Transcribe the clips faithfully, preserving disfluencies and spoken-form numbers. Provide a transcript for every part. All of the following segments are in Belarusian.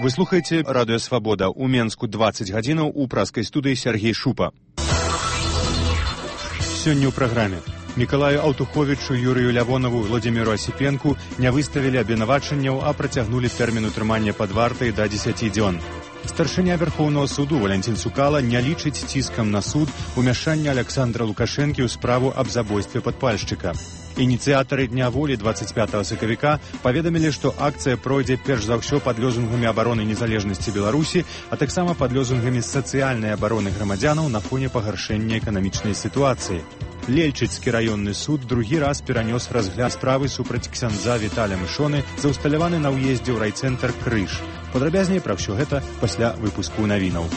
Вы слухаете Радио Свобода. У Менску двадцать гадзінаў, у праскай студыі Сергей Шупа. Сёння ў праграме. Мікалаю Аўтуховічу, Юрыю Лявонову, Владзіміру Асіпенку не выставілі абвінавачанняў, а працягнулі тэрмін утрымання пад вартай да дзесяці дзён. Старшыня Верхоўнага суду Валянцін Цукала не лічыць ціскам на суд умяшання Аляксандра Лукашэнкі ў справу аб забойстве падпальшчыка. Ініцыятары Дня волі двадцать пятага сакавіка паведамілі, што акцыя пройдзе перш за ўсё пад лозунгамі абароны незалежнасці Беларусі, а таксама пад лозунгамі сацыяльнай абароны грамадзянаў на фоне пагаршэння эканамічнай сітуацыі. Лельчыцкі раённы суд другі раз перанёс разгляд справы супраць ксяндза Віталя Мышоны, заўсталяваны на ўездзе ў райцэнтр Крыж. Падрабязней пра ўсё гэта пасля выпуску навінаў.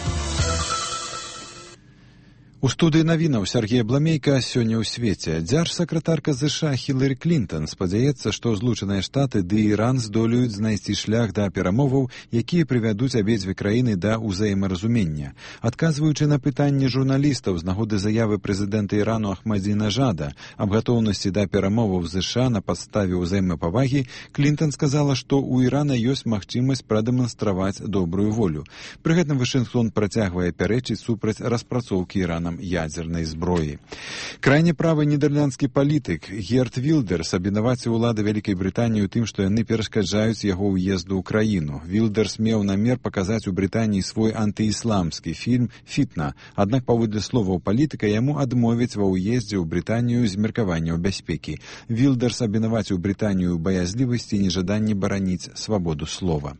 У студыі навінаў Сергея Бламейка сёння ў свеце. Дзяржсакратарка ЗША Хілары Клінтон спадзяецца, што Злучаныя Штаты ды Іран здолеюць знайсці шлях да перамоваў, якія прывядуць абедзве краіны да ўзаемаразумення. Адказваючы на пытанні журналістаў з нагоды заявы прэзідэнта Ірану Ахмадзінажада аб гатоўнасці да перамоваў ЗША на падставе ўзаемапавагі, Клінтон сказала, што ў Ірана ёсць магчымасць прадэманстраваць добрую волю. Пры гэтым Вашынгтон працягвае пярэчыць супраць распрацоўкі Іранам ядзернай зброі. Крайне правы нідерландскі палітык Герт Вілдерс абвінаваціў улады Вялікай Брытаніі ў тым, што яны перашкаджаюць яго ўезду ў краіну. Вілдерс меў намер паказаць у Брытаніі свой антыісламскі фільм «Фітна», аднак паводле словаў палітыка яму адмовяць ва ўездзе ў Брытанію з меркаванняў бяспекі. Вілдерс абвінаваціў Брытанію ў баязлівасці і нежаданні бараніць свабоду слова.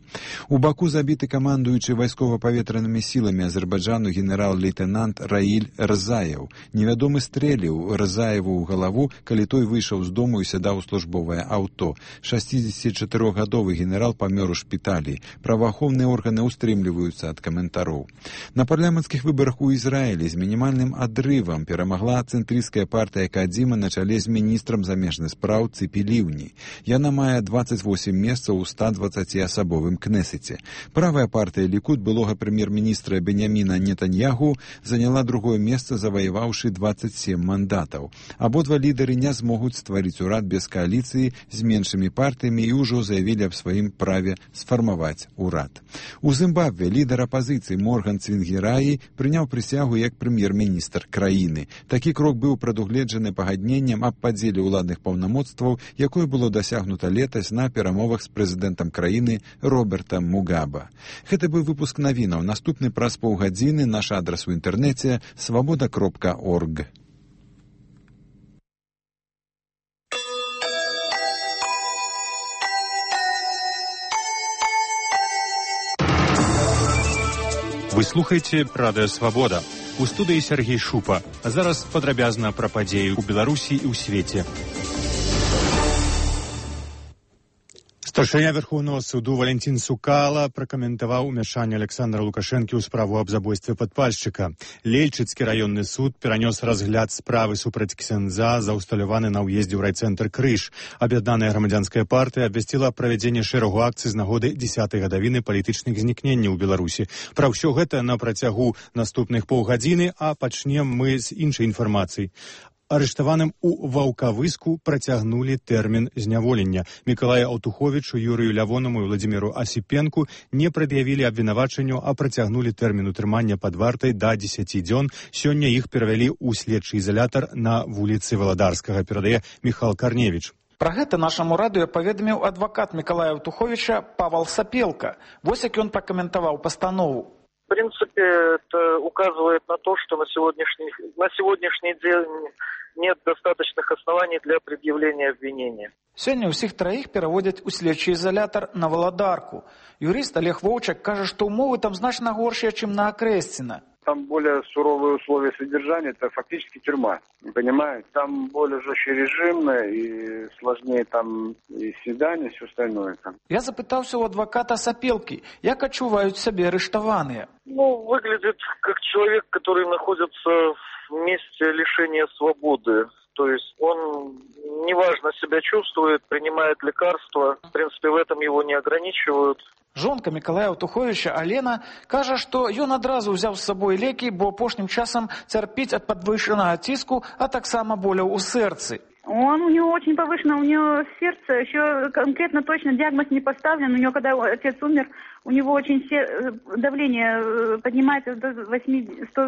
У Баку забіты камандуючы вайскова-паветранымі сіламі Азербайджану генерал-лейтенант Раіль Рзаев. Невядомы стрэліў Рзаеву ў галаву, калі той выйшаў з дому і сядаў у службовае аўто. шасцідзесятычатырохгадовы генерал памёр у шпіталі. Праваахоўныя органы ўстрымліваюцца ад каментароў. На парламенцкіх выбарах у Ізраілі з мінімальным адрывам перамагла цэнтрысцкая партыя Кадзіма на чале з міністрам замежных спраў Цыпі Ліўні. Яна мае двадцать восемь месцаў у ста дваццаціасабовым кнесеце. Правая партыя Лікуд былога прэм'ер-міністра Беньяміна Нетаньяху заняла другое месца, заваяваўшы двадцать семь мандатаў. Абодва лідары не змогуць стварыць урад без кааліцыі з меншымі партыямі і ўжо заявілі аб сваім праве сфармаваць урад. У Зімбабве лідар апазіцыі Морган Цвінгіраі прыняў прысягу як прэм'ер-міністр краіны. Такі крок быў прадугледжаны пагадненнем аб падзеле ўладных паўнамоцтваў, якое было дасягнута летась на перамовах з прэзідэнтам краіны Робертам Мугаба. Гэта быў выпуск навінаў. Наступны праз паўгадзіны наш адрас у інтэрнэце свобода кропка орг. Вы слухаеце Радыё Свабода. У студыі Сергей Шупа. А зараз падрабязна пра падзеі ў Беларусі і ў свеце. Старшыня Верхоўнага суду Валянцін Цукала пракаментаваў умяшанне Аляксандра Лукашэнкі ў справу аб забойстве падпальшчыка. Лельчыцкі раённы суд перанёс разгляд справы супраць ксяндза, заўсталяваны на ўездзе ў райцэнтр Крыж. Аб'яднаная грамадзянская партыя абвясціла правядзенне шэрагу акцый з нагоды дзесятай гадавіны палітычных знікненняў у Беларусі. Пра ўсё гэта на працягу наступных паўгадзіны, а пачнем мы з іншай інфармацыі. Арыштаваным у Ваўкавыску працягнулі тэрмін зняволення. Мікалаю Аўтуховічу, Юрыю Лявонаму і Владзіміру Асіпенку не прад'явілі абвінавачанню, а працягнулі тэрмін утрымання пад вартай да дзесяці дзён. Сёння іх перавялі ў следчы ізалятар на вуліцы Валадарскага, перадае Міхал Карневіч. Пра гэта нашаму радыё паведаміў адвакат Мікалая Аўтуховіча Павал Сапелка. Вось як ён пракаментаваў пастанову. В принципе, это указывает на то, что на сегодняшний, на сегодняшний день нет достаточных оснований для предъявления обвинения. Сёння ўсіх траіх пераводзяць у следчы изолятор на Валадарку. Юрист Олег Вовчак кажа, што умовы там значна горшыя, чым на Акрэсціна. Там более суровые условия содержания, это фактически тюрьма, понимаете? Там более жесткий режим, и сложнее там и свидания, и все остальное. Там. Я запытался у адвоката Сапелки, як адчуваюць сябе арыштаваныя. Ну, выглядит как человек, который находится в месте лишения свободы. То есть он неважно себя чувствует, принимает лекарства. В принципе, в этом его не ограничивают. Жонка Мікалая Аўтуховіча Алена кажа, што ён адразу ўзяў з сабой лекі, бо апошнім часам цярпіць ад падвышанага ціску, а таксама боляў у сэрцы. Он, у него очень повышено, у него сердце, еще конкретно точно диагноз не поставлен. У него, когда отец умер, у него очень сер... давление поднимается до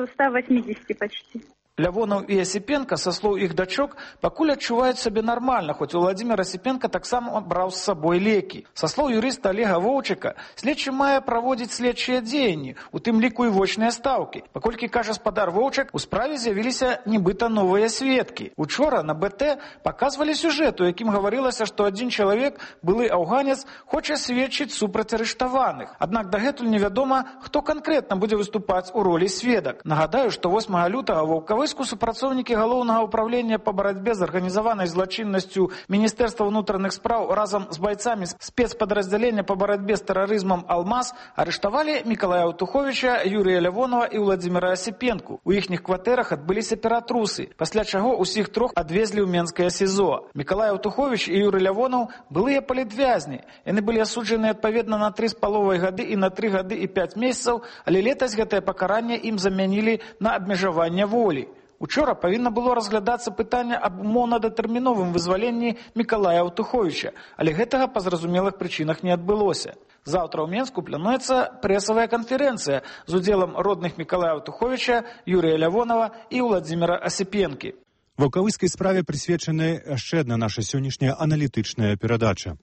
ста восьмидесяти почти. Лявонаў і Асіпенка, са слоў іх дачок, пакуль адчуваюць сабе нармальна, хоць Уладзімір Асіпенка таксама браў з сабой лекі. Са слоў юрыста Олега Воўчыка, следчы мае праводзіць следчыя дзеянні, у тым ліку і вочныя стаўкі. Паколькі, кажа спадар Воўчык, у справе з'явіліся нібыта новыя сведкі. Учора на бэ тэ паказвалі сюжэт, у якім гаварылася, што адзін чалавек, былы аўганец, хоча сведчыць супраць арыштаваных. Аднак дагэтуль невядома, хто канкрэтна будзе выступаць у ролі сведак. Нагадаю, што восьмага лютага ваўкавы супрацоўнікі галоўнага ўправлення па барацьбе з арганізаванай злачыннасцю Міністэрства ўнутраных спраў разам з байцамі спецпадраздзялення па барацьбе з тэрарызмам «Алмаз» арыштавалі Мікалая Аўтуховіча, Юрыя Лявонава і Уладзіміра Асіпенку. У іхніх кватэрах адбыліся ператрусы, пасля чаго ўсіх трох адвезлі ў Менскае СІЗО. Мікалай Аўтуховіч і Юрый Лявонаў былыя палітвязні. Яны былі асуджаны адпаведна на тры з паловай гады і на тры гады і пяць месяцаў, але летась гэтае пакаранне ім замянілі на абмежаванне волі. Учора павінна было разглядацца пытанне аб умоўна-датэрміновым вызваленні Мікалая Аўтуховіча, але гэтага па зразумелых прычынах не адбылося. Заўтра ў Менску плануецца прэсавая канферэнцыя з удзелам родных Мікалая Аўтуховіча, Юрыя Лявонава і Уладзіміра Асіпенкі. Ваўкавыскай справе прысвечана яшчэ адна наша сённяшняя аналітычная перадача.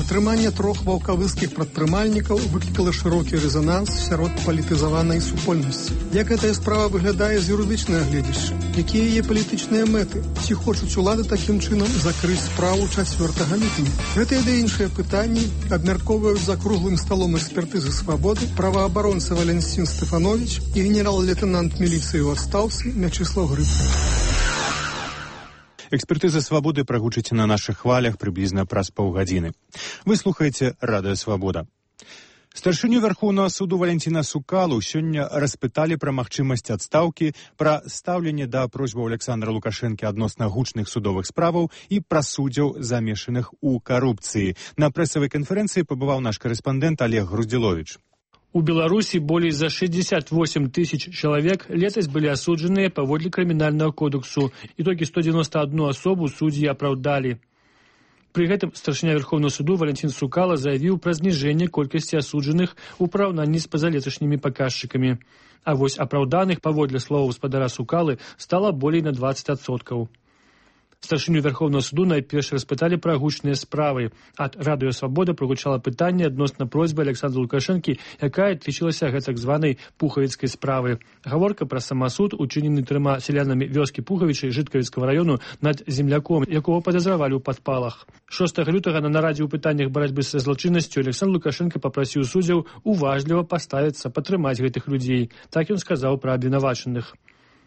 Затрыманне трох ваўкавыскіх прадпрымальнікаў выклікала шырокі рэзананс сярод палітызаванай супольнасці. Як гэтая справа выглядае з юрыдычнага гледзяшча? Якія яе палітычныя мэты? Ці хочуць улады такім чынам закрыць справу чацвёртага ліпеня? Гэтыя ды іншыя пытанні абмяркоўваюць за круглым сталом экспертызы «Свабоды» праваабаронца Валянцін Стэфанович і генерал-лейтэнант міліцыі ў адстаўцы Мячыслаў Грыб. Экспертыза «Свабоды» прагучыць на нашых хвалях прыблізна праз паўгадзіны. Вы слухаеце радыё «Свабода». Старшыню Вярхоўнага суду Валянціна Сукалу сёння распыталі пра магчымасць адстаўкі, пра стаўленне да просьбаў Александра Лукашэнкі адносна гучных судовых справаў і пра суддзяў, замешаных у карупцыі. На прэсавай канферэнцыі пабываў наш карэспандэнт Олег Груздзіловіч. У Беларусі болей за шестьдесят восемь тысяч чалавек летась былі асуджаныя паводле крымінальнага кодексу, і толькі сто девяносто одну асобу суддзі апраўдалі. Пры гэтым старшыня Верховнага суду Валянцін Сукала заявіў пра зніжэнне колькасці асуджаных у параўнанні з пазалеташнімі паказчыкамі. А вось апраўданых, паводле словаў спадара Сукалы, стала болей на двадцать адсоткаў. Старшыню Верховного суду найперш распыталі пра гучныя справы. Ад радыё «Свабода» прагучала пытанне адносна просьбы Александра Лукашэнкі, якая тычылася гэтак званай пухавіцкай справы. Гаворка пра самасуд, учынены трыма сялянамі вёскі Пухавічай Жыткавіцкага раёну над земляком, якого падазравалі ў падпалах. шостага лютага на нарадзе ў пытаннях барацьбы са злачыннасцю Александр Лукашэнка папрасіў суддзяў уважліва паставіцца, падтрымаць гэтых людзей. Так ён сказаў пра абвінавачаных.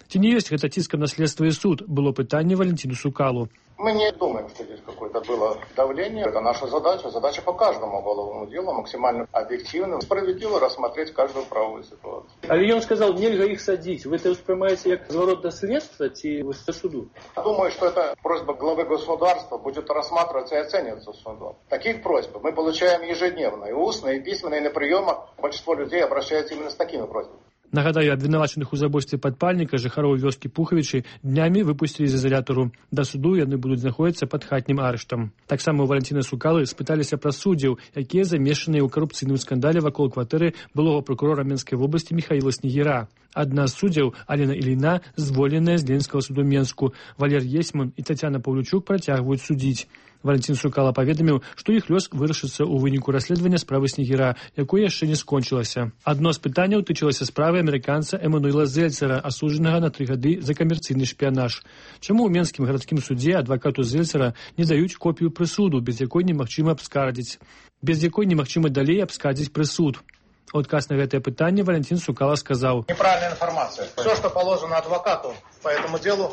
Ці не ёсць гэта ціскам на следства і суд, было пытанне Валентину Сукалу. Мы не думаем, что здесь какое-то было давление. Это наша задача. Задача по каждому уголовному делу максимально объективно, справедливо рассмотреть каждую правовую ситуацию. Але ён сказал, нельзя их садить. Вы это воспринимаете как разворот до следства ці до суду? Думаю, что эта просьба главы государства будет рассматриваться и оцениваться судом. Таких просьб мы получаем ежедневно, и устно, и письменно, и на приемах. Большинство людей обращаются именно с такими просьбами. Нагадаю, абвінавачаных у забойстве падпальніка жыхароў вёскі Пухавічы днямі выпусцілі з изолятару. Да суду яны будуць знаходзіцца пад хатнім арыштам. Таксама у Валянціна Сукалы спыталіся пра суддзяў, якія замешаныя ў карупцыйным скандале вакол кватэры былога прокурора Менскай вобласці Михаіла Снегіра. Адна з суддзяў, Алена Іліна, звольненая з Ленінскага суду Менску. Валер Есман і Тацяна Паўлючук працягваюць судзіць. Валянцін Сукала паведаміў, што іх лёс вырашыцца ў выніку расследавання справы Снегіра, якое яшчэ не скончылася. Адно з пытанняў тычылася справы амерыканца Эмануэла Зельцера, асуджанага на тры гады за камерцыйны шпіянаж. Чаму ў Менскім гарадскім судзе адвакату Зельцера не даюць копію прысуду, без якой немагчыма абскардзіць? Без якой немагчыма далей абскардзіць прысуд? У адказ на гэтае пытанне Валянцін Сукала сказаў: неправильная информация. Все, что положено адвокату по этому делу,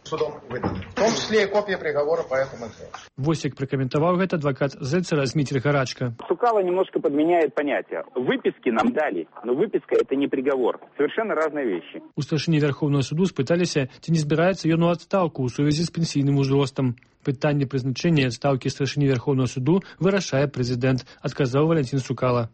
судом выдано. В том числе и копия приговора по этому делу. Вось як прокомментовал это адвокат Зельцера Дмитрий Гарачко. Сукала немножко подменяет понятие. Выписки нам дали, но выписка это не приговор. Совершенно разные вещи. У старшыні Верховного суду спыталіся, ці не збіраецца ён у адстаўку ў сувязі з пенсійным узростам. Пытанне прызначэння адстаўкі старшыні Верховного суду вырашае прэзідэнт, адказаў Валянцін Сукала.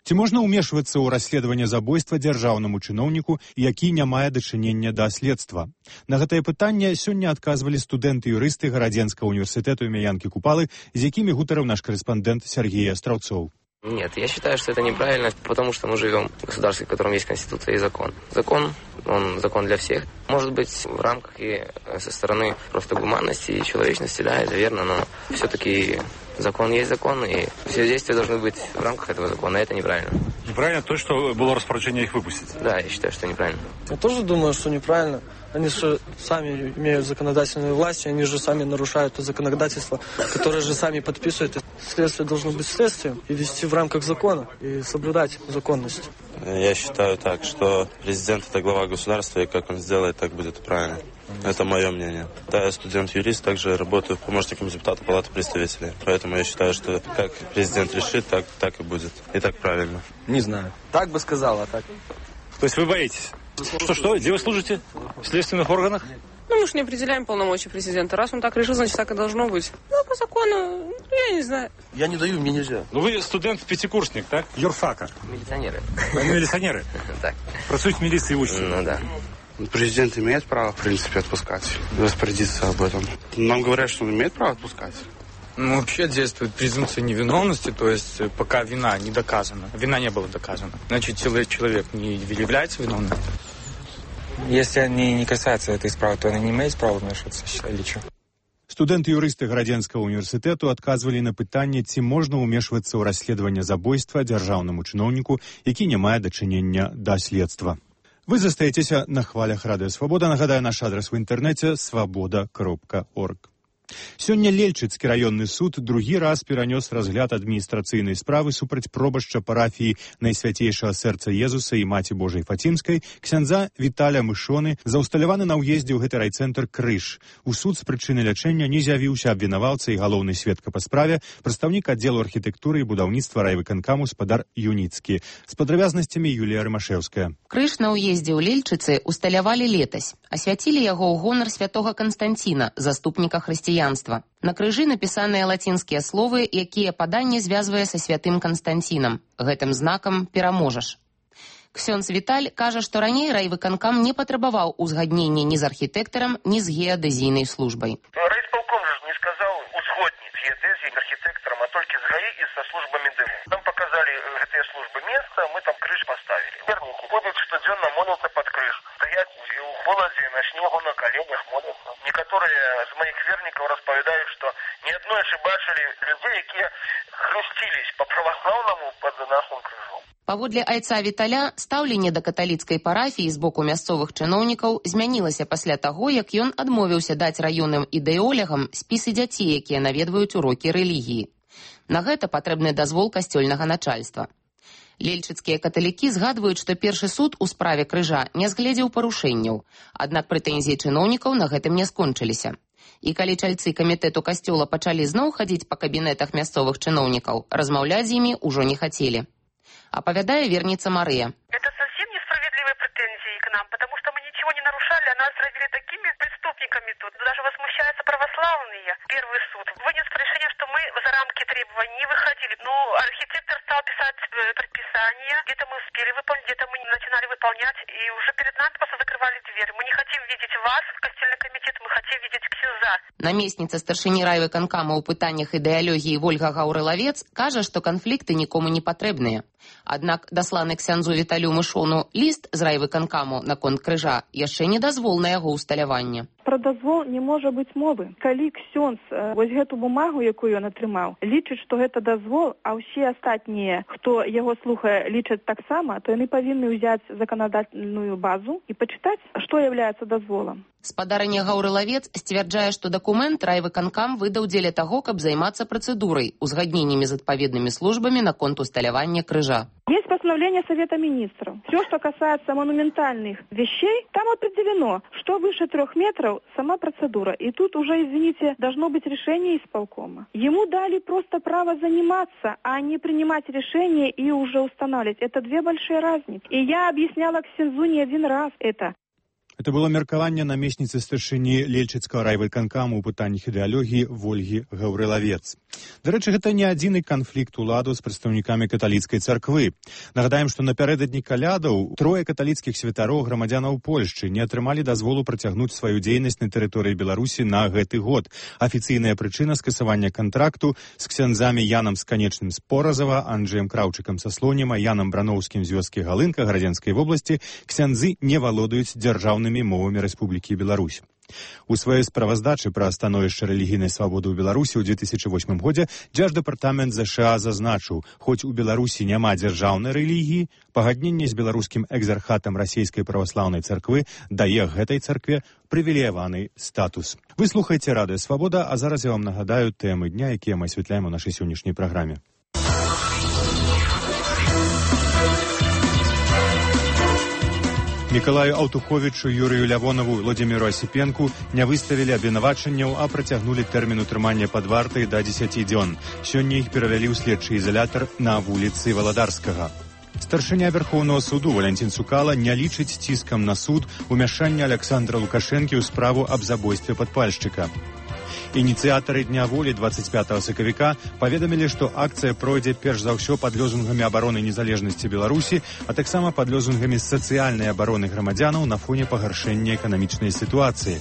Ці можна ўмешвацца ў расследаванне забойства дзяржаўнаму чыноўніку, які не мае дачынення да следства? На гэтае пытанне сёння адказвалі студэнты-юрысты Гарадзенскага універсітэту імя Янкі Купалы, з якімі гутарыў наш карэспандэнт Сергей Астраўцоў. Нет, я считаю, что это неправильно, потому что мы живем в государстве, в котором есть Конституция и закон. Закон, он закон для всех. Может быть, в рамках и со стороны просто гуманности и человечности, да, это верно, но все-таки закон есть закон, и все действия должны быть в рамках этого закона, и это неправильно. Неправильно то, что было распоряжение их выпустить? Да, я считаю, что неправильно. Я тоже думаю, что неправильно. Они же сами имеют законодательную власть, и они же сами нарушают то законодательство, которое же сами подписывают. Следствие должно быть следствием и вести в рамках закона, и соблюдать законность. Я считаю так, что президент – это глава государства, и как он сделает, так будет правильно. Это мое мнение. Да, я студент-юрист, также работаю помощником депутата Палаты представителей. Поэтому я считаю, что как президент решит, так, так и будет. И так правильно. Не знаю. Так бы сказала, так. То есть вы боитесь? Что, что? Где вы служите? В следственных органах? Ну, мы же не определяем полномочия президента. Раз он так решил, значит, так и должно быть. Ну, по закону, я не знаю. Я не даю, мне нельзя. Ну, вы студент-пятикурсник, так? Юрфака. Милиционеры. Милиционеры? Так. Працуют в милиции и учатся? Ну, да. Президент имеет право, в принципе, отпускать, распорядиться об этом. Нам говорят, что он имеет право отпускать. Ну, вообще действует презумпция невиновности, то есть пока вина не доказана, вина не была доказана, значит, человек не является виновным. Если они не касаются этой справы, то они не имеют права вмешиваться, считали, что? Студэнты-юрысты Гарадзенскага універсітэту адказвалі на пытанне, ці можна ўмешвацца ў расследаванне забойства дзяржаўнаму чыноўніку, які не мае дачынення да следства. Вы застаецеся на хвалях Радыё Свабода. Нагадаю, наш адрес у інтэрнэце свабода кропка орг. Сёння Лельчыцкі раённы суд другі раз перанёс разгляд адміністрацыйнай справы супраць пробашча парафіі Найсвяцейшага сэрца Езуса і Маці Божай Фацімскай ксяндза Віталя Мышоны за ўсталяваны на ўездзе ў гэты райцэнтр крыж. У суд з прычыны лячэння не з'явіўся абвінаваўца і галоўны сведка па справе, прадстаўнік аддзелу архітэктуры і будаўніцтва райвыканкаму спадар Юніцкі. З падрабязнасцямі Юлія Рымашэўская. Крыж на ўездзе ў Лельчыцы усталявалі летась. Асвяцілі яго ў гонар святога Канстанціна, заступніка хрысціянства. На крыжы напісаныя лацінскія словы, якія паданне звязвае са святым Канстанцінам. Гэтым знакам пераможаш. Ксёндз Віталь кажа, што раней райвыканкам не патрабаваў узгаднення ні з архітэктарам, ні з геадэзійнай службай. Райисполком же не сказал узгоднить геодэзии архитекторам, а только с ГАИ и со службами ДЭМ. Нам показали эти службы место, мы там крыш поставили. Верники ходят штоденно, молятся под крыш. Стоят у холоде, на снегу, на коленях молятся. Некоторые из моих верников расповедают, что ни одной бачили людей, которые хрестились по православному под нашим крыжом. Паводле айца Віталя, стаўленне да каталіцкай парафіі з боку мясцовых чыноўнікаў змянілася пасля таго, як ён адмовіўся даць раённым ідэолягам спісы дзяцей, якія наведваюць урокі рэлігіі. На гэта патрэбны дазвол касцёльнага начальства. Лельчыцкія каталікі згадваюць, што першы суд у справе крыжа не згледзеў парушэнняў, аднак прэтэнзіі чыноўнікаў на гэтым не скончыліся. І калі чальцы камітэту касцёла пачалі зноў хадзіць па кабінетах мясцовых чыноўнікаў, размаўляць з імі ўжо не хацелі. Апавядае верніца Марыя. Это совсем несправедливые претензии к нам, потому что мы ничего не нарушали, а нас родили такими преступниками тут. Даже возмущаются православные. Первый суд вынес решение, что мы за рамки требований не выходили. Ну, архитектор стал писать предписания. Где-то мы успели выполнить, где-то мы не начинали выполнять. И уже перед нами просто закрывали дверь. Мы не хотим видеть вас, костельный комитет, мы хотим видеть ксюза. Намесніца старшыні райвыканкама ў пытаннях ідэалогіі Вольга Гаўрылавец кажа, што канфлікты нікому не патрэбныя. Аднак дасланы ксяндзу Віталю Мышону ліст з райвыканкаму наконт крыжа яшчэ не дазвол на яго ўсталяванне. Пра дазвол не можа быць мовы. Калі ксёндз вось гэту бумагу, якую ён атрымаў, лічыць, што гэта дазвол, а ўсе астатнія, хто яго слухае, лічаць таксама, то яны павінны ўзяць заканадательную базу і пачытаць, што являецца дазволам. Спадарня Гаўрылавец сцвярджае, што дакумент райвыканкам выдаў дзеля таго, каб займацца працэдурай, узгадненнямі з адпаведнымі службамі наконт усталявання крыжа. Есть постановление Совета Министров. Все, что касается монументальных вещей, там определено, что выше трех метров сама процедура. И тут уже, извините, должно быть решение исполкома. Ему дали просто право заниматься, а не принимать решение и уже устанавливать. Это две большие разницы. И я объясняла ксензу не один раз это. Это было меркаванне намесніцы старшыні Лельчыцкага райвыканкаму ў пытаннях ідэалогіі Вольгі Гаўрылавец. Дарэчы, гэта не адзіны канфлікт уладу з прадстаўнікамі каталіцкай царквы. Нагадаем, што напярэдадні калядаў трое каталіцкіх святароў грамадзянаў Польшчы не атрымалі дазволу працягнуць сваю дзейнасць на тэрыторыі Беларусі на гэты год. Афіцыйная прычына скасавання кантракту з ксяндзамі Янам Сканечным з Поразава, Анджэем Краўчыкам са Слоніма, Янам Брановскім з вёскі Галынка Гарадзенскай вобласці ксяндзы не валодаюць дзяржаўнымі мовамі Рэспублікі Беларусь. У сваёй справаздачы пра становішча рэлігійнай свабоды ў Беларусі ў две тысячы восьмым годзе Дзярждэпартамент ЗША зазначыў, хоць у Беларусі няма дзяржаўнай рэлігіі, пагадненне з беларускім экзархатам расійскай праваслаўнай царквы дае гэтай царкве прывілеяваны статус. Вы слухаеце Радыё Свабода, а зараз я вам нагадаю тэмы дня, якія мы асвятляем у нашай сённяшняй праграме. Мікалаю Аўтуховічу, Юрыю Лявонаву і Владзіміру Асіпенку не выставілі абвінавачанняў, а працягнулі тэрмін утрымання пад вартай да дзесяці дзён. Сёння іх перавялі ў следчы ізалятар на вуліцы Валадарскага. Старшыня Верхоўнага суду Валянцін Цукала не лічыць ціскам на суд умяшання Александра Лукашэнкі ў справу аб забойстве падпальшчыка. Ініцыятары Дня волі двадцать пятого сакавіка паведамілі, што акцыя пройдзе перш за ўсё пад лозунгамі абароны незалежнасці Беларусі, а таксама пад лозунгамі сацыяльнай абароны грамадзянаў на фоне пагаршэння эканамічнай сітуацыі.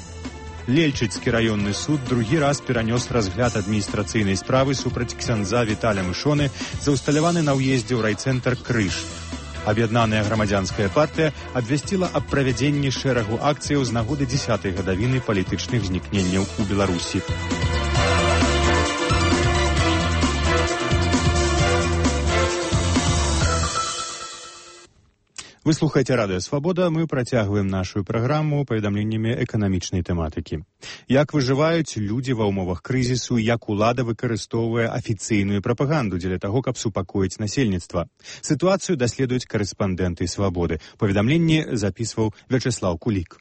Лельчыцкі раённы суд другі раз перанёс разгляд адміністрацыйнай справы супраць ксяндза Віталя Мышоны за ўсталяваны на ўездзе ў райцэнтр Крыж. Аб'яднаная грамадзянская партыя абвясціла аб правядзенні шэрагу акцыяў з нагоды дзесятай гадавіны палітычных знікненняў у Беларусі. Вы слухаеце Радыё Свабода, мы працягваем нашу праграму паведамленнямі эканамічнай тэматыкі. Як выжываюць людзі ва ўмовах крызісу, як улада выкарыстоўвае афіцыйную прапаганду дзеля таго, каб супакоіць насельніцтва. Сітуацыю даследуюць карэспандэнты Свабоды. Паведамленне запісваў Вячеслаў Кулік.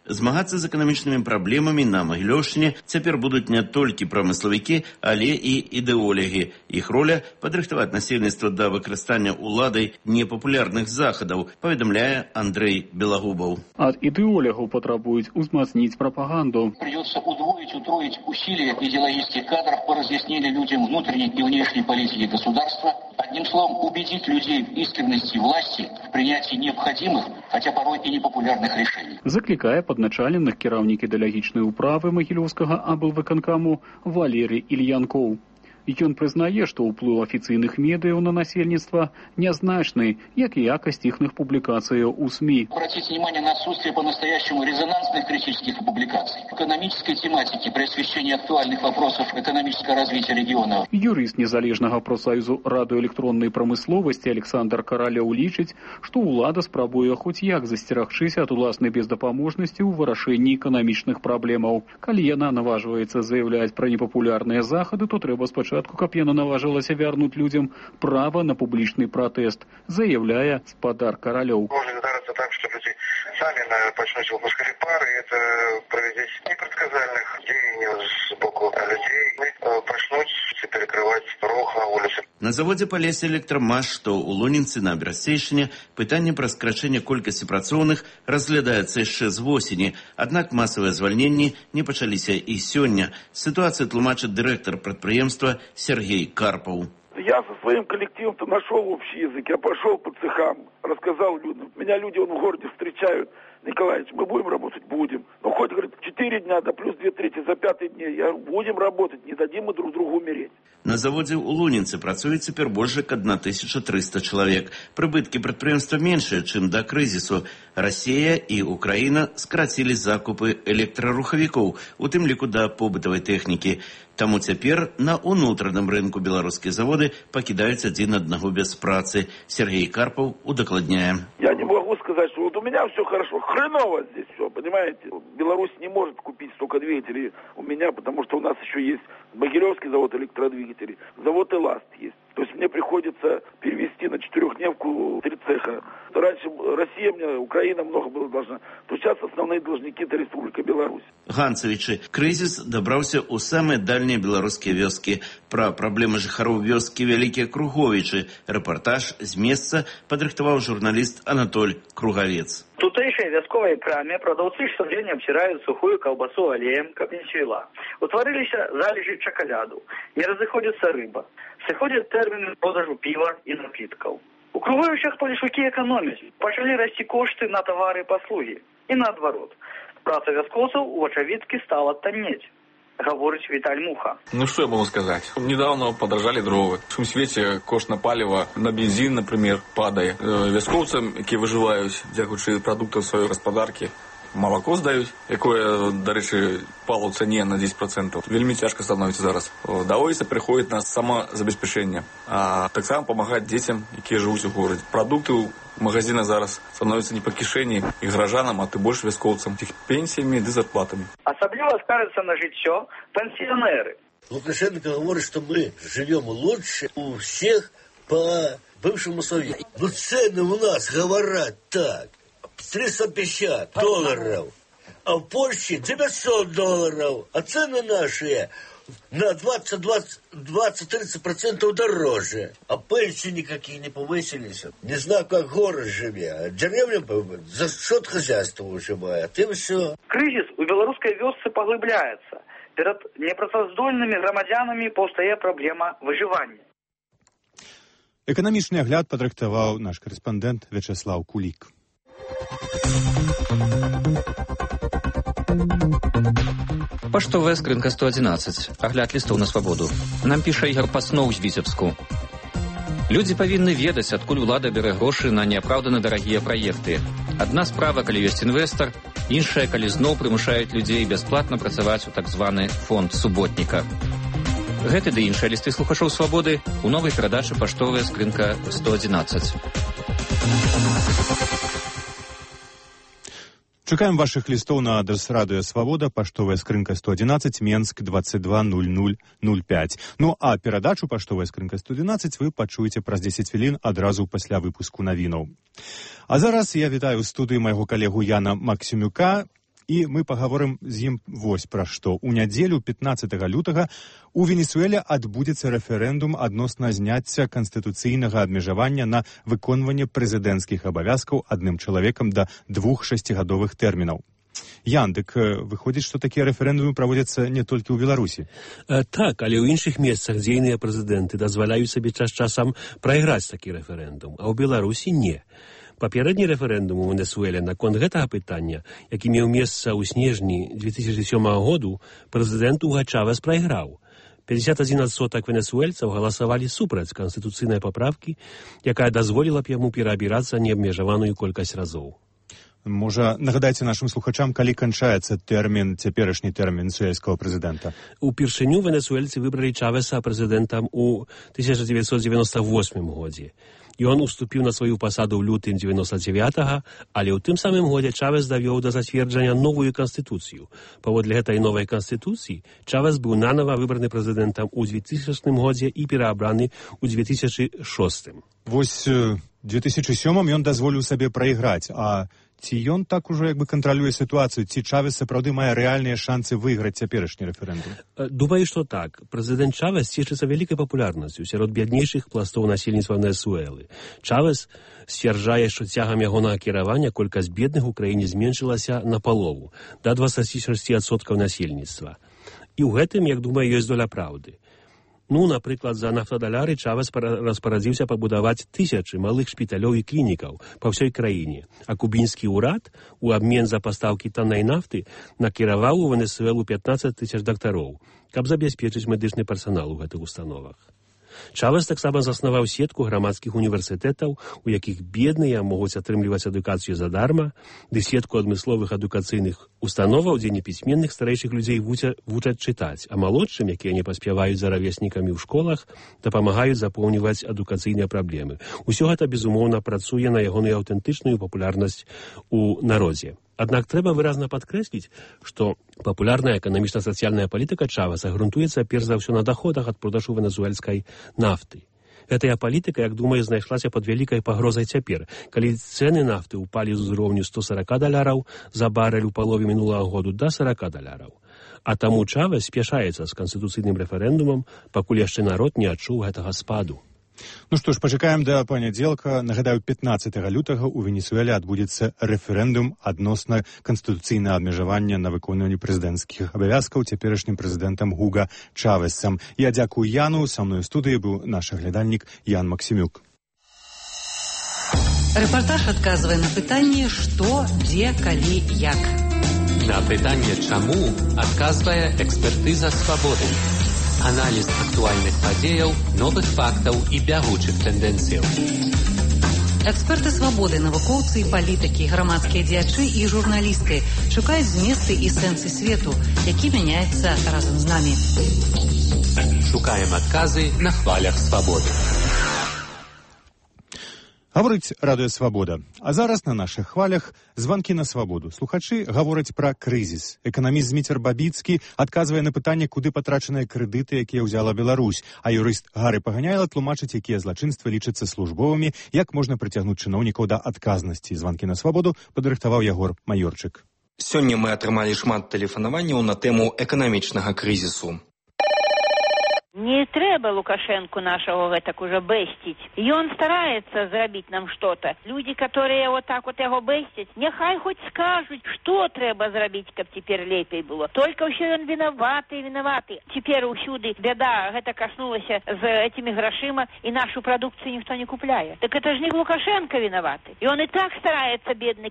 Змагацца з эканамічнымі праблемамі на Магілёўшчыне цяпер будуць не толькі прамыславікі, але і ідэолагі. Іх роля – падрыхтаваць насельніцтва да выкарыстання уладай непапулярных захадаў, паведамляе Андрэй Белагубаў. Ад ідэолягаў патрабуюць узмацніць прапаганду. Придется удвоить, утроить усилия идеологических кадров по разъяснению людям внутренней и внешней политики государства. Одним словом, убедить людей в искренности власти в принятии необходимых, хотя порой и непопулярных решений. Закликая падначаленых кіраўнік ідэалагічнай управы Магілёўскага аблвыканкаму Валерый Ільянкоў. Ён прызнае, што ўплыў афіцыйных медыяў на насельніцтва нязначны, як і якасць іхных публікацыяў у СМИ. Обратите внимание на отсутствие по-настоящему резонансных критических публикаций, экономической тематики при освещении актуальных вопросов экономического развития региона. Юрыст незалежнага профсаюзу радыёэлектроннай прамысловасці Александр Каралёў лічыць, што ўлада спрабуе хоць як засцерагчыся ад уласнай бездапаможнасці ў вырашэнні эканамічных праблемаў. Калі яна наважваецца заяўляць пра непапулярныя захады, то трэба спачатку каб яна наважылася вярнуць людзям права на публічны пратэст, заяўляе спадар Каралёў. Можна здарыцца так, што людзі самі пачнуць выпускаць пары, і это правядзець непрадказальных дзеянняў з боку людзей, пачнуць перекрываць рух на вуліцы. На заводзе Палесе Электрамаш, што ў Лонінцы на Берасцейшыне, пытанне пра скарачэнне колькасці працоўных разглядаецца яшчэ з восені, аднак масавыя звальненні не пачаліся і сёння. Сітуацыю тлумачыць дырэктар прадпрыемства Сергей Карпов. Я со своим коллективом-то нашел общий язык. Я пошел по цехам, рассказал людям. Меня люди вон в городе встречают. Николаевич, мы будем работать? Будем. Но хоть, говорит, четыре дня, да плюс две трети за пятый день. Я будем работать, не дадим мы друг другу умереть. На заводзе ў Лунінцы працуе цяпер больш як тысяча трыста чалавек. Прыбыткі прадпрыемства меншыя, чым да крызісу. Расія і Украіна скарацілі закупы электрарухавікоў, у тым ліку да побытавай тэхнікі. Таму цяпер на ўнутраным рынку беларускія заводы пакідаюць адзін аднаго без працы. Сергей Карпов удакладняе. Я не могу сказать, что вот у меня все хорошо. Хреново здесь все, понимаете? Беларусь не может купить столько двигателей у меня, потому что у нас еще есть Могилевский завод электродвигателей, завод «Эласт» есть. То есть мне приходится перевести на четырехдневку три цеха. Раньше Россия мне, Украина много было должна. То сейчас основные должники – это Республика Беларусь. Ганцевичы, крызіс дабраўся ў самыя дальнія беларускія вёскі. Пра праблемы жыхароў вёскі Вялікія Круговічы рэпартаж з месца падрыхтаваў журналіст Анатоль Кругавец. В тутейшей вясковой краме продавцы штодзень обтирают сухую колбасу алеем, как не свела. Утворились залежи чоколяду. Не разыходится рыба. Сыходят термины продажу пива и напитков. У Круговичах полишуки экономить. Пошли расти кошты на товары и послуги. И наоборот. Праца вяскоцев у очевидки стала тонеть. Говорить Виталь Муха. Ну что я могу сказать? Недавно подорожали дрова. В свете кошт на паліва, на бензин, например, падає. Вяскоўцам, які выживаюць, дзякуючы прадуктам сваёй гаспадаркі, молоко здаюць, якое, до речі, пало ў цане на десять процентов. Вельмі цяжка становіцца зараз. Даводзіцца прыходзіць на самазабеспячэнне, а таксама памагаць дзецям, якія жывуць у горадзе. Прадукты ў магазинах зараз становятся не по кишені і гражданам, а ти більше військовцям, тих пенсіями і зарплатами. Особливо скажется на життя пенсионеры. Лукашенко говорит, что мы живем лучше у всех по бывшему Совету. Ну цены у нас говорят так. триста пятьдесят долларов, а в Польше девятьсот долларов, а цены наши на двадцать-тридцать процентов дороже. А пенсии никакие не повысились. Не знаю, как город живет. А деревня за счет хозяйства выживает. И все. Кризис у белорусской вёсцы поглыбляется. Перед непрацаздольными громадянами повстає проблема выживания. Эканамічны агляд падрыхтаваў наш корэспандэнт Вячеслав Кулик. Паштовая скрынка сто одиннадцать. Агляд лістоў на свабоду. Нам піша Ігор Пасноў з Віцебску. Людзі павінны ведаць, адкуль улада бярэ грошы на неапраўдана дарагія праекты. Адна справа, калі ёсць інвестар, іншая, калі зноў прымушаюць людзей бясплатна працаваць у так званы фонд суботніка. Гэты ды іншыя лісты слухачоў свабоды у новай перадачы «Паштовая скрынка сто одиннадцать». Чакаем ваших листов на адрес Радио Свобода, поштовая скрынка сто одиннадцать, Менск, двадцать два ноль ноль ноль пять. Ну а перадачу «Поштовая скрынка сто одиннадцать» вы пачуеце праз десять хвілін адразу пасля выпуску навінаў. А зараз я вітаю ў студыі майго калегу Яна Максімюка, і мы пагаворым з ім вось пра што. У нядзелю пятнадцатага лютага у Венесуэле адбудзецца рэферэндум адносна зняцця канстытуцыйнага абмежавання на выконванне прэзідэнцкіх абавязкаў адным чалавекам да двух шасцігадовых тэрмінаў. Ян, дык выходзіць, што такія рэферэндумы праводзяцца не толькі ў Беларусі. Так, але ў іншых месцах дзейныя прэзідэнты дазваляюць сабе час-часам прайграць такі рэферэндум, а ў Беларусі не. Папярэдні рэферэндум у Венесуэле наконт гэтага пытання, які меў месца ў снежні две тысячи сёмага году, прэзідэнт Уга Чавес прайграў. пятьдесят один адсотак венесуэльцаў галасавалі супраць канстытуцыйнай паправкі, якая дазволіла б яму пераабірацца неабмежаваную колькасць разоў. Можа, нагадайце нашым слухачам, калі канчаецца тэрмін, цяперашні тэрмін венесуэльскага прэзідэнта? Упершыню венесуэльцы выбралі Чавеса прэзідэнтам у тысяча девятьсот девяносто восьмым годзе. Ён уступіў на сваю пасаду ў лютым девяносто девятага, але ў тым самым годзе Чавес давёў да зацверджання новую канстытуцыю. Паводле гэтай новай канстытуцыі Чавес быў нанова выбраны прэзідэнтам у двухтысячным годзе і пераабраны ў две тысячи шостым. Вось две тысячи сёмым ён дазволіў сабе прайграць, а ці ён так ужо як бы кантралюе сітуацыю, ці Чавес сапраўды мае рэальныя шансы выйграць цяперашні рэферэндум? Думаю, што так. Прэзідэнт Чавес цешыцца вялікай папулярнасцю сярод бяднейшых пластоў насельніцтва Венесуэлы. Чавес сцвярджае, што цягам ягонага кіравання колькасць бедных у краіне зменшылася напалову, да двадцать шесть адсоткаў насельніцтва. І ў гэтым, як думаю, ёсць доля праўды. Ну, напрыклад, за нафтадаляры Чавес распарадзіўся пабудаваць тысячы малых шпіталёў і клінікаў па ўсёй краіне, а кубінскі ўрад у абмен за пастаўкі таннай нафты накіраваў у Венесуэлу пятнадцать тысяч дактароў, каб забяспечыць медычны персанал у гэтых установах. Чавес таксама заснаваў сетку грамадскіх універсітэтаў, у якіх бедныя могуць атрымліваць адукацыю задарма, ды сетку адмысловых адукацыйных установаў, дзе непісьменных старэйшых людзей вучаць чытаць, а малодшым, якія не паспяваюць за равеснікамі ў школах, дапамагаюць запоўніваць адукацыйныя праблемы. Усё гэта, безумоўна, працуе на ягоную аўтэнтычную папулярнасць у народзе. Аднак трэба выразна падкрэсліць, што папулярная эканамічна-сацыяльная палітыка Чавеса грунтуецца перш за ўсё на даходах ад продажу венесуэльскай нафты. Гэтая палітыка, як думаю, знайшлася пад вялікай пагрозай цяпер, калі цэны нафты ўпалі з узроўню сто сорок даляраў за барэль у палове мінулага году да сорок даляраў. А таму Чавес спяшаецца з канстытуцыйным рэферэндумам, пакуль яшчэ народ не адчуў гэтага спаду. Ну што ж, пачакаем да панядзелка. Нагадаю, пятнаццатага лютага ў Венесуэле адбудзецца рэферэндум адносна канстытуцыйнага абмежавання на выконванне прэзідэнцкіх абавязкаў цяперашнім прэзідэнтам Гуга Чавесам. Я дзякую Яну, са мной у студыі быў наш аглядальнік Ян Максімюк. Рэпартаж адказвае на пытанне «Што, дзе, калі, як». На пытанне «Чаму» адказвае экспертыза «Свабоды». Аналіз актуальных падзеяў, новых фактаў і бягучых тэндэнцыяў. Эксперты «Свабоды», навукоўцы і палітыкі, грамадскія дзеячы і журналісты шукаюць зместы і сэнсы свету, які мяняецца разам з намі. Шукаем адказы на хвалях «Свабоды». Гаворыць радыё «Свабода». А зараз на нашых хвалях званкі на свабоду. Слухачы гавораць пра крызіс. Эканаміст Зміцер Бабіцкі адказвае на пытанне, куды патрачаныя крэдыты, якія ўзяла Беларусь. А юрыст Гары Паганяйла тлумачыць, якія злачынствы лічацца службовымі, як можна прыцягнуць чыноўнікаў да адказнасці. Званкі на свабоду падрыхтаваў Ягор Маёрчык. Сёння мы атрымалі шмат тэлефанаванняў на тэму эканамічнага крызісу. Не трэба Лукашенку нашего гэтак уже бэсціць. Ён стараецца зрабіць нам што-то. Людзі, которые вот так вот яго бэсцяць, няхай хоць скажуць, што трэба зрабіць, каб цяпер лепей было. Только ўсё ён вінаваты, вінаваты. Цяпер усюды бяда гэта каснулася з этими грашыма, і нашу прадукцыю ніхто не купляе. Так это ж не Лукашенко виноваты. И он и так старается, бедный.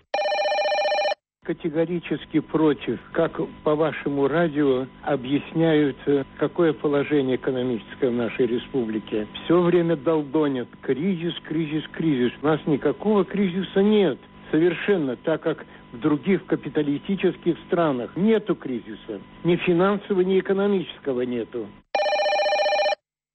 Категорически против, как по вашему радио объясняют, какое положение экономическое в нашей республике. Все время долдонят. Кризис, кризис, кризис. У нас никакого кризиса нет. Совершенно, так как в других капиталистических странах нету кризиса. Ни финансового, ни экономического нету.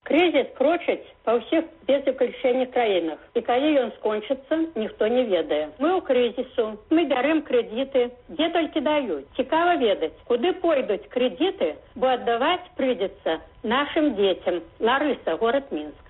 Кризис крочыць па ўсіх без выключэння краінах. І калі ён скончыцца, ніхто не ведае. Мы ў крызісу, мы бярэм крэдіты, дзе толькі даюць. Цікава ведаць, куды пойдуць крэдіты, бо аддаваць прыйдзецца нашым дзецям. Ларыса, горад Мінск.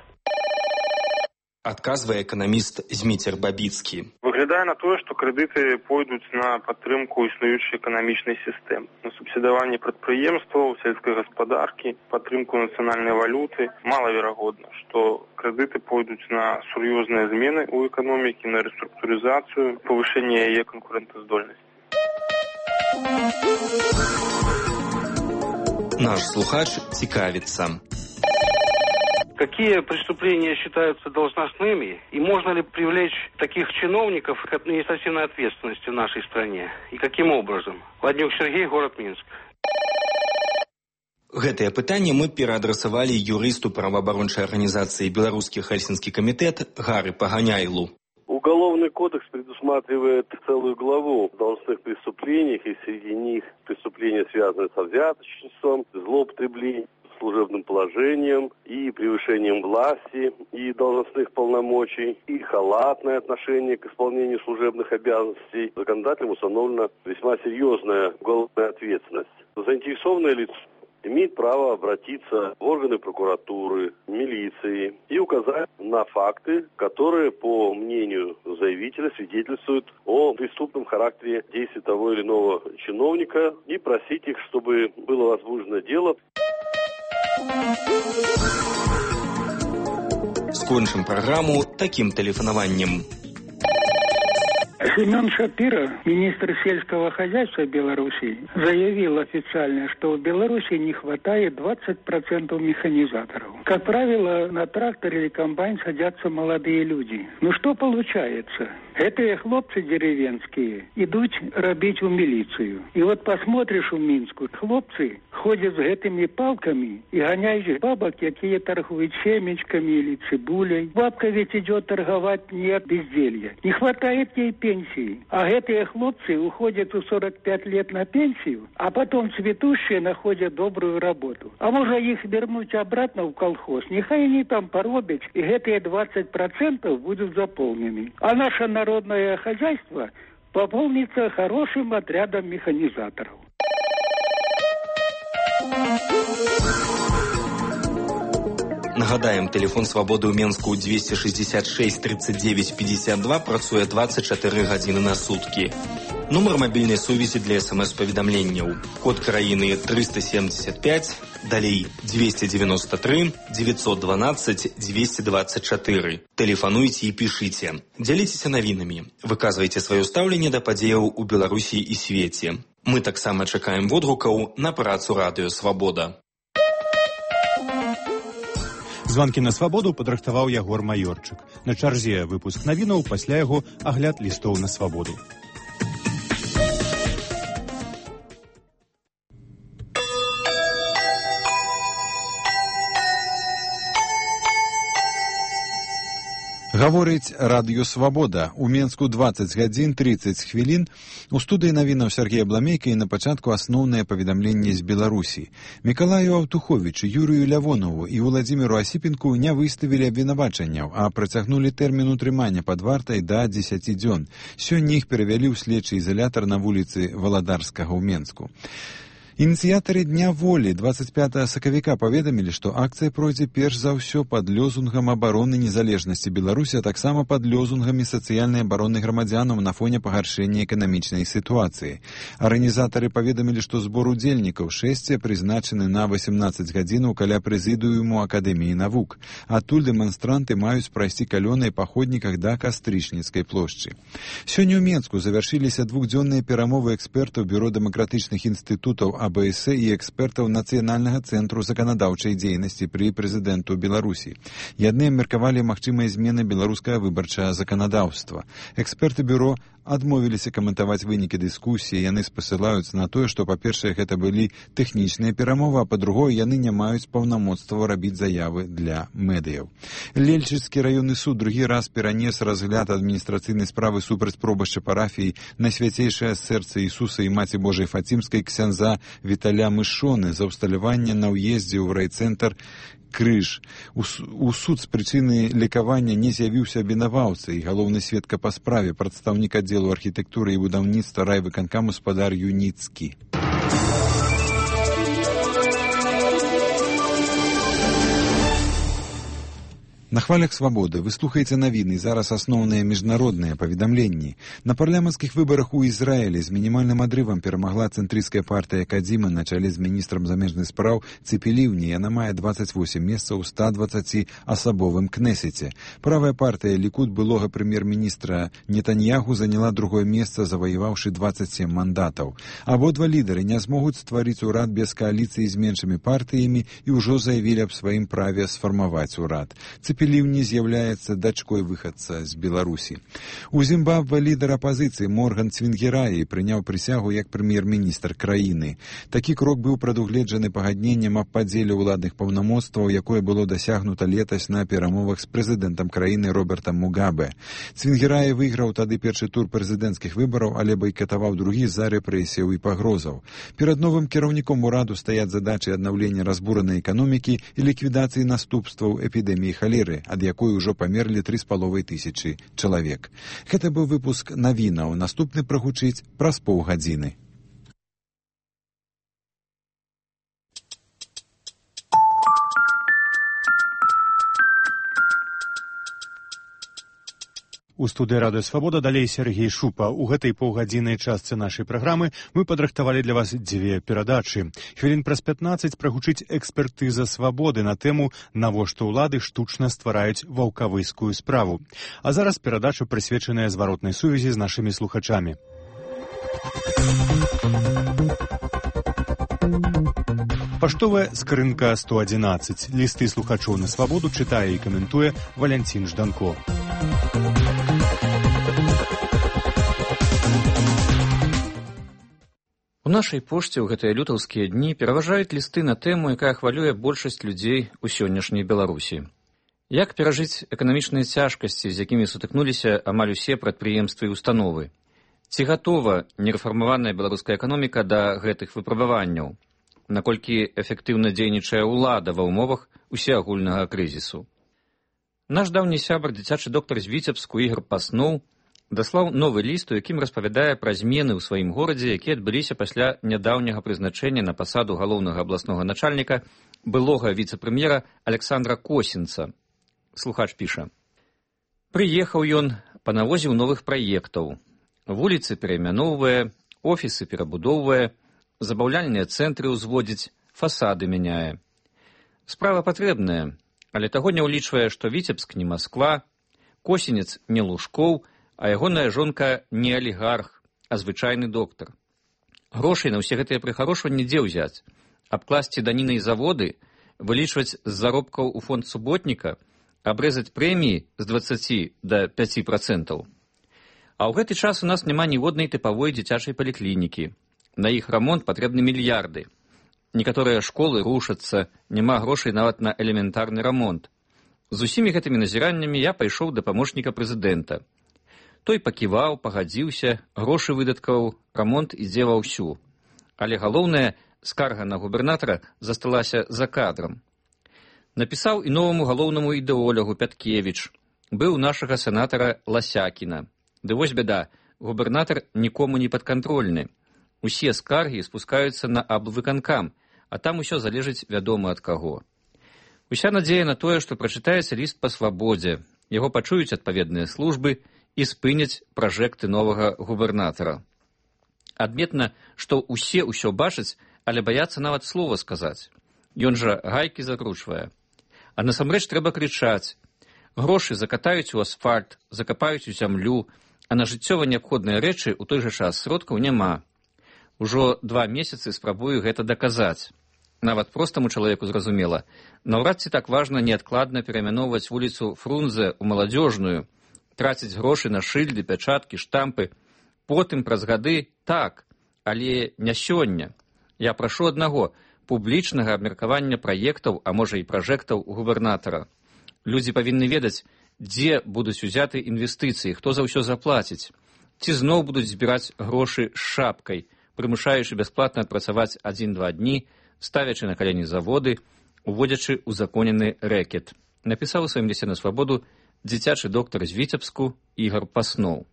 Адказвае эканаміст Зміцер Бабіцкі. Выглядае на тое, што крэдыты пойдуць на падтрымку існуючай эканамічнай сістэмы, на субсідаванне прадпрыемстваў, сельскай гаспадаркі, падтрымку нацыянальнай валюты. Малаверагодна, што крэдыты пойдуць на сур'ёзныя змены ў эканомікі, на рэструктурызацыю, павышэнне яе канкурэнтаздольнасці. Наш слухач цікавіцца. Какие преступления считаются должностными и можно ли привлечь таких чиновников к административной ответственности в нашей стране? И каким образом? Владимир Сергей, город Минск. Гэтае пытанне мы пераадрасавалі юрысту праваабарончай арганізацыі «Беларускі Хельсінскі комитет» Гары Паганяйлу. Уголовный кодекс предусматривает целую главу о должностных преступлениях, и среди них преступления, связанные со взяточничеством, злоупотреблением служебным положением и превышением власти и должностных полномочий, и халатное отношение к исполнению служебных обязанностей. Законодателем установлена весьма серьезная уголовная ответственность. Заинтересованное лицо имеет право обратиться в органы прокуратуры, милиции и указать на факты, которые, по мнению заявителя, свидетельствуют о преступном характере действий того или иного чиновника, и просить их, чтобы было возбуждено дело. Скончым праграму таким тэлефанаваннем. Семен Шапира, министр сельского хозяйства Беларуси, заявил официально, что в Беларуси не хватает двадцать процентов механизаторов. Как правило, на трактор или комбайн садятся молодые люди. Ну что получается? Этые хлопцы деревенские идут робить в милицию. И вот посмотришь в Минску, хлопцы ходят с этими палками и гоняют бабок, какие торгуют семечками или цибулей. Бабка ведь идет торговать не от безделья. Не хватает ей пенсии. А эти хлопцы уходят в сорок пять лет на пенсию, а потом цветущие находят добрую работу. А может их вернуть обратно в колхоз? Нехай они там поробят, и эти двадцать процентов будут заполнены. А наше народное хозяйство пополнится хорошим отрядом механизаторов. Нагадаем, телефон свабоды ў Менску двести шестьдесят шесть тридцать девять пятьдесят два працуе двадцать четыре гадзіны на суткі. Нумар мабільнай сувязі для смс-паведамленняў. Код краіны триста семьдесят пять, далей двести девяносто три, девятьсот двенадцать, двести двадцать четыре. Тэлефануйце і пішыце. Дзяліцеся навінамі. Выказвайце сваё стаўленне да падзеяў у Беларусі і свеце. Мы таксама чакаем водгукаў на працу Радыё Свабода. Званкі на свабоду падрыхтаваў Ягор Маёрчык. На чарзе выпуск навінаў, пасля яго агляд лістоў на свабоду. Гаворыць Радыё Свабода. У Менску дваццаць гадзін тридцать хвілін. У студыі навінаў Сергей Абламейка і на пачатку асноўнае паведамленне з Беларусі. Мікалаю Аўтуховічу, Юрію Лявонову і Владзіміру Асіпенку не выставілі абвінавачанняў, а працягнулі тэрмін утрымання пад вартай да дзесяці дзён. Сёння іх перавялі ў следчы ізалятар на вуліцы Валадарскага ў Менску. Ініцыятары Дня волі двадцать пятого сакавіка паведамілі, што акцыя пройдзе перш за ўсё пад лёзунгам абароны незалежнасці Беларусі, а таксама пад лёзунгамі сацыяльнай абароны грамадзянаў на фоне пагаршэння эканамічнай сітуацыі. Арганізатары паведамілі, што збор удзельнікаў шэсця прызначаны на восемнадцаць гадзінаў каля прэзідыуму Акадэміі навук. Адтуль дэманстранты маюць прайсці калёнай па ходніках да Кастрычніцкай плошчы. Сёння ў Менску завяршыліся двухдзённыя перамовы экспертаў Бюро дэмакратычных інстытутаў А Б С і экспертаў Нацыянальнага цэнтру заканадаўчай дзейнасці пры прэзідэнту Беларусі. Яны абмеркавалі магчымыя змены беларускага выбарчага заканадаўства. Эксперты бюро адмовіліся каментаваць вынікі дыскусіі. Яны спасылаюцца на тое, што, па-першае, гэта былі тэхнічныя перамовы, а па-другое, яны не маюць паўнамоцтва рабіць заявы для медыяў. Лельчыцкі раённы суд другі раз перанес разгляд адміністрацыйнай справы супраць пробашча парафіі на свяцейшае сэрца Ісуса і Маці Божай Фацімскай ксяндза Віталя Мышоны за ўсталяванне на ўездзе ў райцэнтр Крыж. У, у суд з прычыны лекавання не з'явіўся абвінаваўца, і галоўны сведка па справе, прадстаўнік аддзелу архітэктуры і будаўніцтва райвыканкаму спадар Юніцкі. На хвалях свабоды вы слухаеце навіны, зараз асноўныя міжнародныя паведамленні. На парламенцкіх выбарах у Ізраілі з мінімальным адрывам перамагла цэнтрысцкая партыя Кадзіма на чале з міністрам замежных спраў Ципи Ливни. Яна мае двадцать восемь месцаў у ста двадцати асабовым кнесеце. Правая партыя Лікуд былога прэм'ер-міністра Нетаньяху заняла другое месца, заваяваўшы двадцать семь мандатаў. Абодва лідары не змогуць стварыць урад без кааліцыі з меншымі партыямі і ўжо заявілі аб сваім праве сфармаваць урад. Ципи Ливни з'яўляецца дачкой выхадца з Беларусі. У Зімбабве лідар апазіцыі Морган Цвінгераі прыняў прысягу як прэм'ер-міністр краіны. Такі крок быў прадугледжаны пагадненнем аб падзеле ўладных паўнамоцтваў, якое было дасягнута летась на перамовах з прэзідэнтам краіны Робертам Мугабе. Цвінгераі выйграў тады першы тур прэзідэнцкіх выбараў, але байкатаваў другі з-за рэпрэсіяў і пагрозаў. Перад новым кіраўніком ураду стаяць задачы аднаўлення разбуранай эканомікі і ліквідацыі наступстваў эпідэміі халеры, ад якой ужо памерлі тры з паловай тысячы чалавек. Гэта быў выпуск навінаў. Наступны прагучыць праз паўгадзіны. У студыі Радыё Свабода далей Сергей Шупа. У гэтай паўгадзіннай частцы нашай праграмы мы падрыхтавалі для вас дзве перадачы. Хвілін праз пятнаццаць прагучыць экспертыза свабоды на тэму «Навошта ўлады штучна ствараюць ваўкавыскую справу». А зараз перадача прысвечаная зваротнай сувязі з нашымі слухачамі. Паштовая скрынка сто адзінаццаць. Лісты слухачоў на свабоду чытае і каментуе Валянцін Жданко. У нашай пошце ў гэтыя лютаўскія дні пераважаюць лісты на тэму, якая хвалюе большасць людзей у сённяшняй Беларусі. Як перажыць эканамічныя цяжкасці, з якімі сутыкнуліся амаль усе прадпрыемствы і установы? Ці гатова нерэфармаваная беларуская эканоміка да гэтых выпрабаванняў? Наколькі эфектыўна дзейнічае ўлада ва ўмовах усеагульнага крызісу? Наш даўні сябар, дзіцячы доктар з Віцебску Ігор Пасноў, даслаў новы ліст, у якім распавядае пра змены ў сваім горадзе, якія адбыліся пасля нядаўняга прызначэння на пасаду галоўнага абласнога начальніка былога віцэ-прэм'ера Александра Косінца. Слухач піша. Прыехаў ён, панавозіў новых праектаў. Вуліцы пераймяноўвае, офісы перабудоўвае, забаўляльныя цэнтры ўзводзіць, фасады мяняе. Справа патрэбная, але таго не ўлічвае, што Віцебск не Масква, Косінец не Лужкоў, а ягоная жонка не алігарх, а звычайны доктар. Грошай на ўсе гэтыя прыхарошванні дзе ўзяць? Абкласці даніны і заводы, вылічваць з заробкаў у фонд суботніка, абрэзаць прэміі з дваццаці да пяці працэнтаў. А ў гэты час у нас няма ніводнай тыпавой дзіцячай паліклінікі. На іх рамонт патрэбны мільярды. Некаторыя школы рушацца, няма грошай нават на элементарны рамонт. З усімі гэтымі назіраннямі я пайшоў да памочніка прэзідэнта. Той паківаў, пагадзіўся, грошы выдаткаў, рамонт ідзе ва ўсю. Але галоўнае, скарга на губернатара засталася за кадрам. Напісаў і новаму галоўнаму ідэолягу Пяткевіч. Быў нашага сенатара Ласякіна. Ды вось бяда, губернатар нікому не падкантрольны. Усе скаргі спускаюцца на аблвыканкам, а там усё залежыць вядома ад каго. Уся надзея на тое, што прачытаецца ліст па свабодзе, яго пачуюць адпаведныя службы і спыняць пражэкты новага губернатара. Адметна, што ўсе ўсё бачаць, але баяцца нават слова сказаць. Ён жа гайкі закручвае. А насамрэч трэба крычаць. Грошы закатаюць у асфальт, закапаюць у зямлю, а на жыццёва неабходныя рэчы ў той жа час сродкаў няма. Ужо два месяцы спрабую гэта даказаць. Нават простаму чалавеку зразумела, наўрад ці так важна неадкладна пераймяноўваць вуліцу Фрунзе ў маладзёжную, траціць грошы на шыльды, пячаткі, штампы. Потым праз гады так, але не сёння. Я прашу аднаго публічнага абмеркавання праектаў, а можа і пражэктаў губернатара. Людзі павінны ведаць, дзе будуць узяты інвестыцыі, хто за ўсё заплаціць. Ці зноў будуць збіраць грошы з шапкай, прымушаючы бясплатна адпрацаваць адзін-два дні, ставячы на калені заводы, уводзячы узаконены рэкет. Напісаў у сваім лісце на свабоду дзіцячы доктар з Віцебску Ігар Пасноў.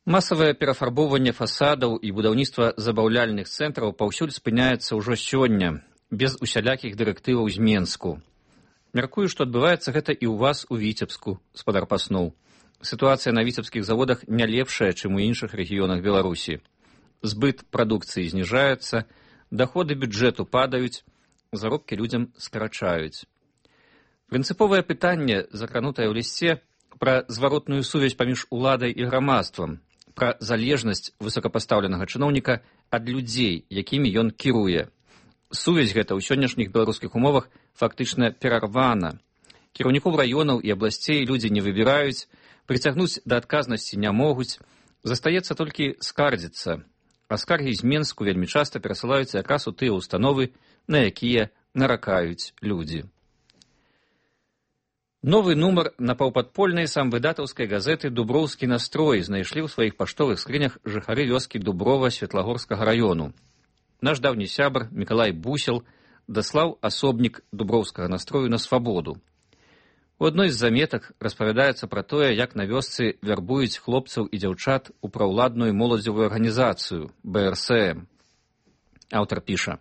Масавае перафарбоўванне фасадаў і будаўніцтва забаўляльных цэнтраў паўсюль спыняецца ўжо сёння, без усялякіх дырэктываў з Менску. Мяркую, што адбываецца гэта і ў вас у Віцебску, спадар Пасноў. Сітуацыя на віцебскіх заводах не лепшая, чым у іншых рэгіёнах Беларусі. Збыт прадукцыі зніжаецца, даходы бюджэту падаюць, заробкі людзям скарачаюць. Прынцыповае пытанне, закранутае ў лісце, пра зваротную сувязь паміж уладай і грамадствам, пра залежнасць высокапастаўленага чыноўніка ад людзей, якімі ён кіруе. Сувязь гэта ў сённяшніх беларускіх умовах фактычна перарвана. Кіраўнікоў раёнаў і абласцей людзі не выбіраюць, прыцягнуць да адказнасці не могуць, застаецца толькі скардзіцца. А скаргі з Менску вельмі часта перасылаюцца якраз у тыя ўстановы, на якія наракаюць людзі. Новы нумар напаўпадпольнай самвыдатаўскай газеты «Дуброўскі настрой» знайшлі ў сваіх паштовых скрынях жыхары вёскі Дуброва Светлагорскага раёну. Наш даўні сябар Мікалай Бусел даслаў асобнік Дуброўскага настрою на свабоду. У адной з заметак распавядаецца пра тое, як на вёсцы вярбуюць хлопцаў і дзяўчат у праўладную моладзевую арганізацыю бэ эр эс эм. Аўтар піша: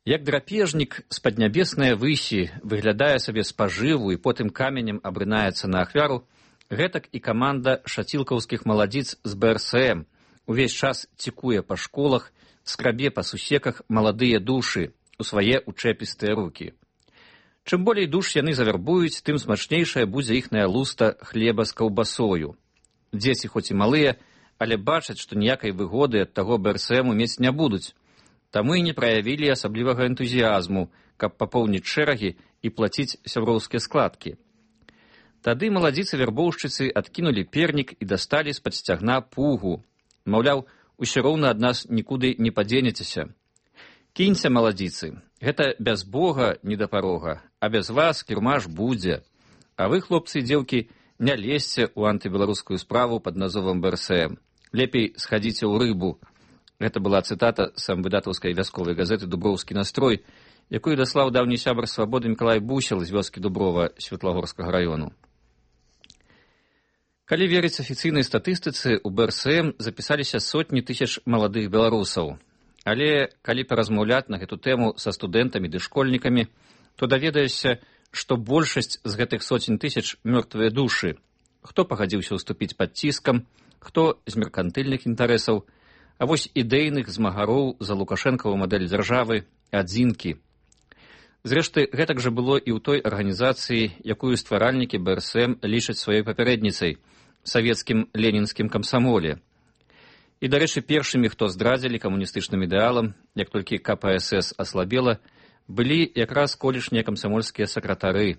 як драпежнік з паднябеснае высі выглядае сабе спажыву і потым каменем абрынаецца на ахвяру, гэтак і каманда шацілкаўскіх маладзіц з бэ эр эс эм увесь час цікуе па школах, скрабе па сусеках маладыя душы у свае учэпістыя рукі. Чым болей душ яны завярбуюць, тым смачнейшая будзе іхная луста хлеба з каўбасою. Дзеці хоць і малыя, але бачаць, што ніякай выгоды ад таго бэ эр эс эм мець не будуць. Таму і не праявілі асаблівага энтузіязму, каб папоўніць шэрагі і плаціць сяброўскія складкі. Тады маладзіцы-вярбоўшчыцы адкінулі пернік і дасталі з-пад сцягна пугу. Маўляў, усё роўна ад нас нікуды не падзенецеся. Кінься, маладзіцы, гэта без Бога не да парога, а без вас кірмаш будзе. А вы, хлопцы і дзеўкі, не лезьце ў антыбеларускую справу пад назовам бэ эр эс эм. Лепей схадзіце ў рыбу. Гэта была цытата самвыдатаўскай вясковай газеты «Дуброўскі настрой», якую даслаў даўні сябар свабоды Мікалай Бусел з вёскі Дуброва Светлагорскага раёну. Калі верыць афіцыйнай статыстыцы, у бэ эр эс эм запісаліся сотні тысяч маладых беларусаў. Але калі паразмаўляць на гэту тэму са студэнтамі ды школьнікамі, то даведаешся, што большасць з гэтых соцень тысяч мёртвыя душы, Хто пагадзіўся ўступіць пад ціскам, хто з меркантыльных інтарэсаў, а вось ідэйных змагароў за лукашэнкаву мадэль дзяржавы адзінкі. Зрэшты, гэтак жа было і ў той арганізацыі, якую стваральнікі бэ эр эс эм лічаць сваёй папярэдніцай, савецкім ленінскім камсамоле. І, дарэчы, першымі, хто здрадзілі камуністычным ідэалам, як толькі ка пэ эс эс аслабела, былі якраз колішнія камсамольскія сакратары.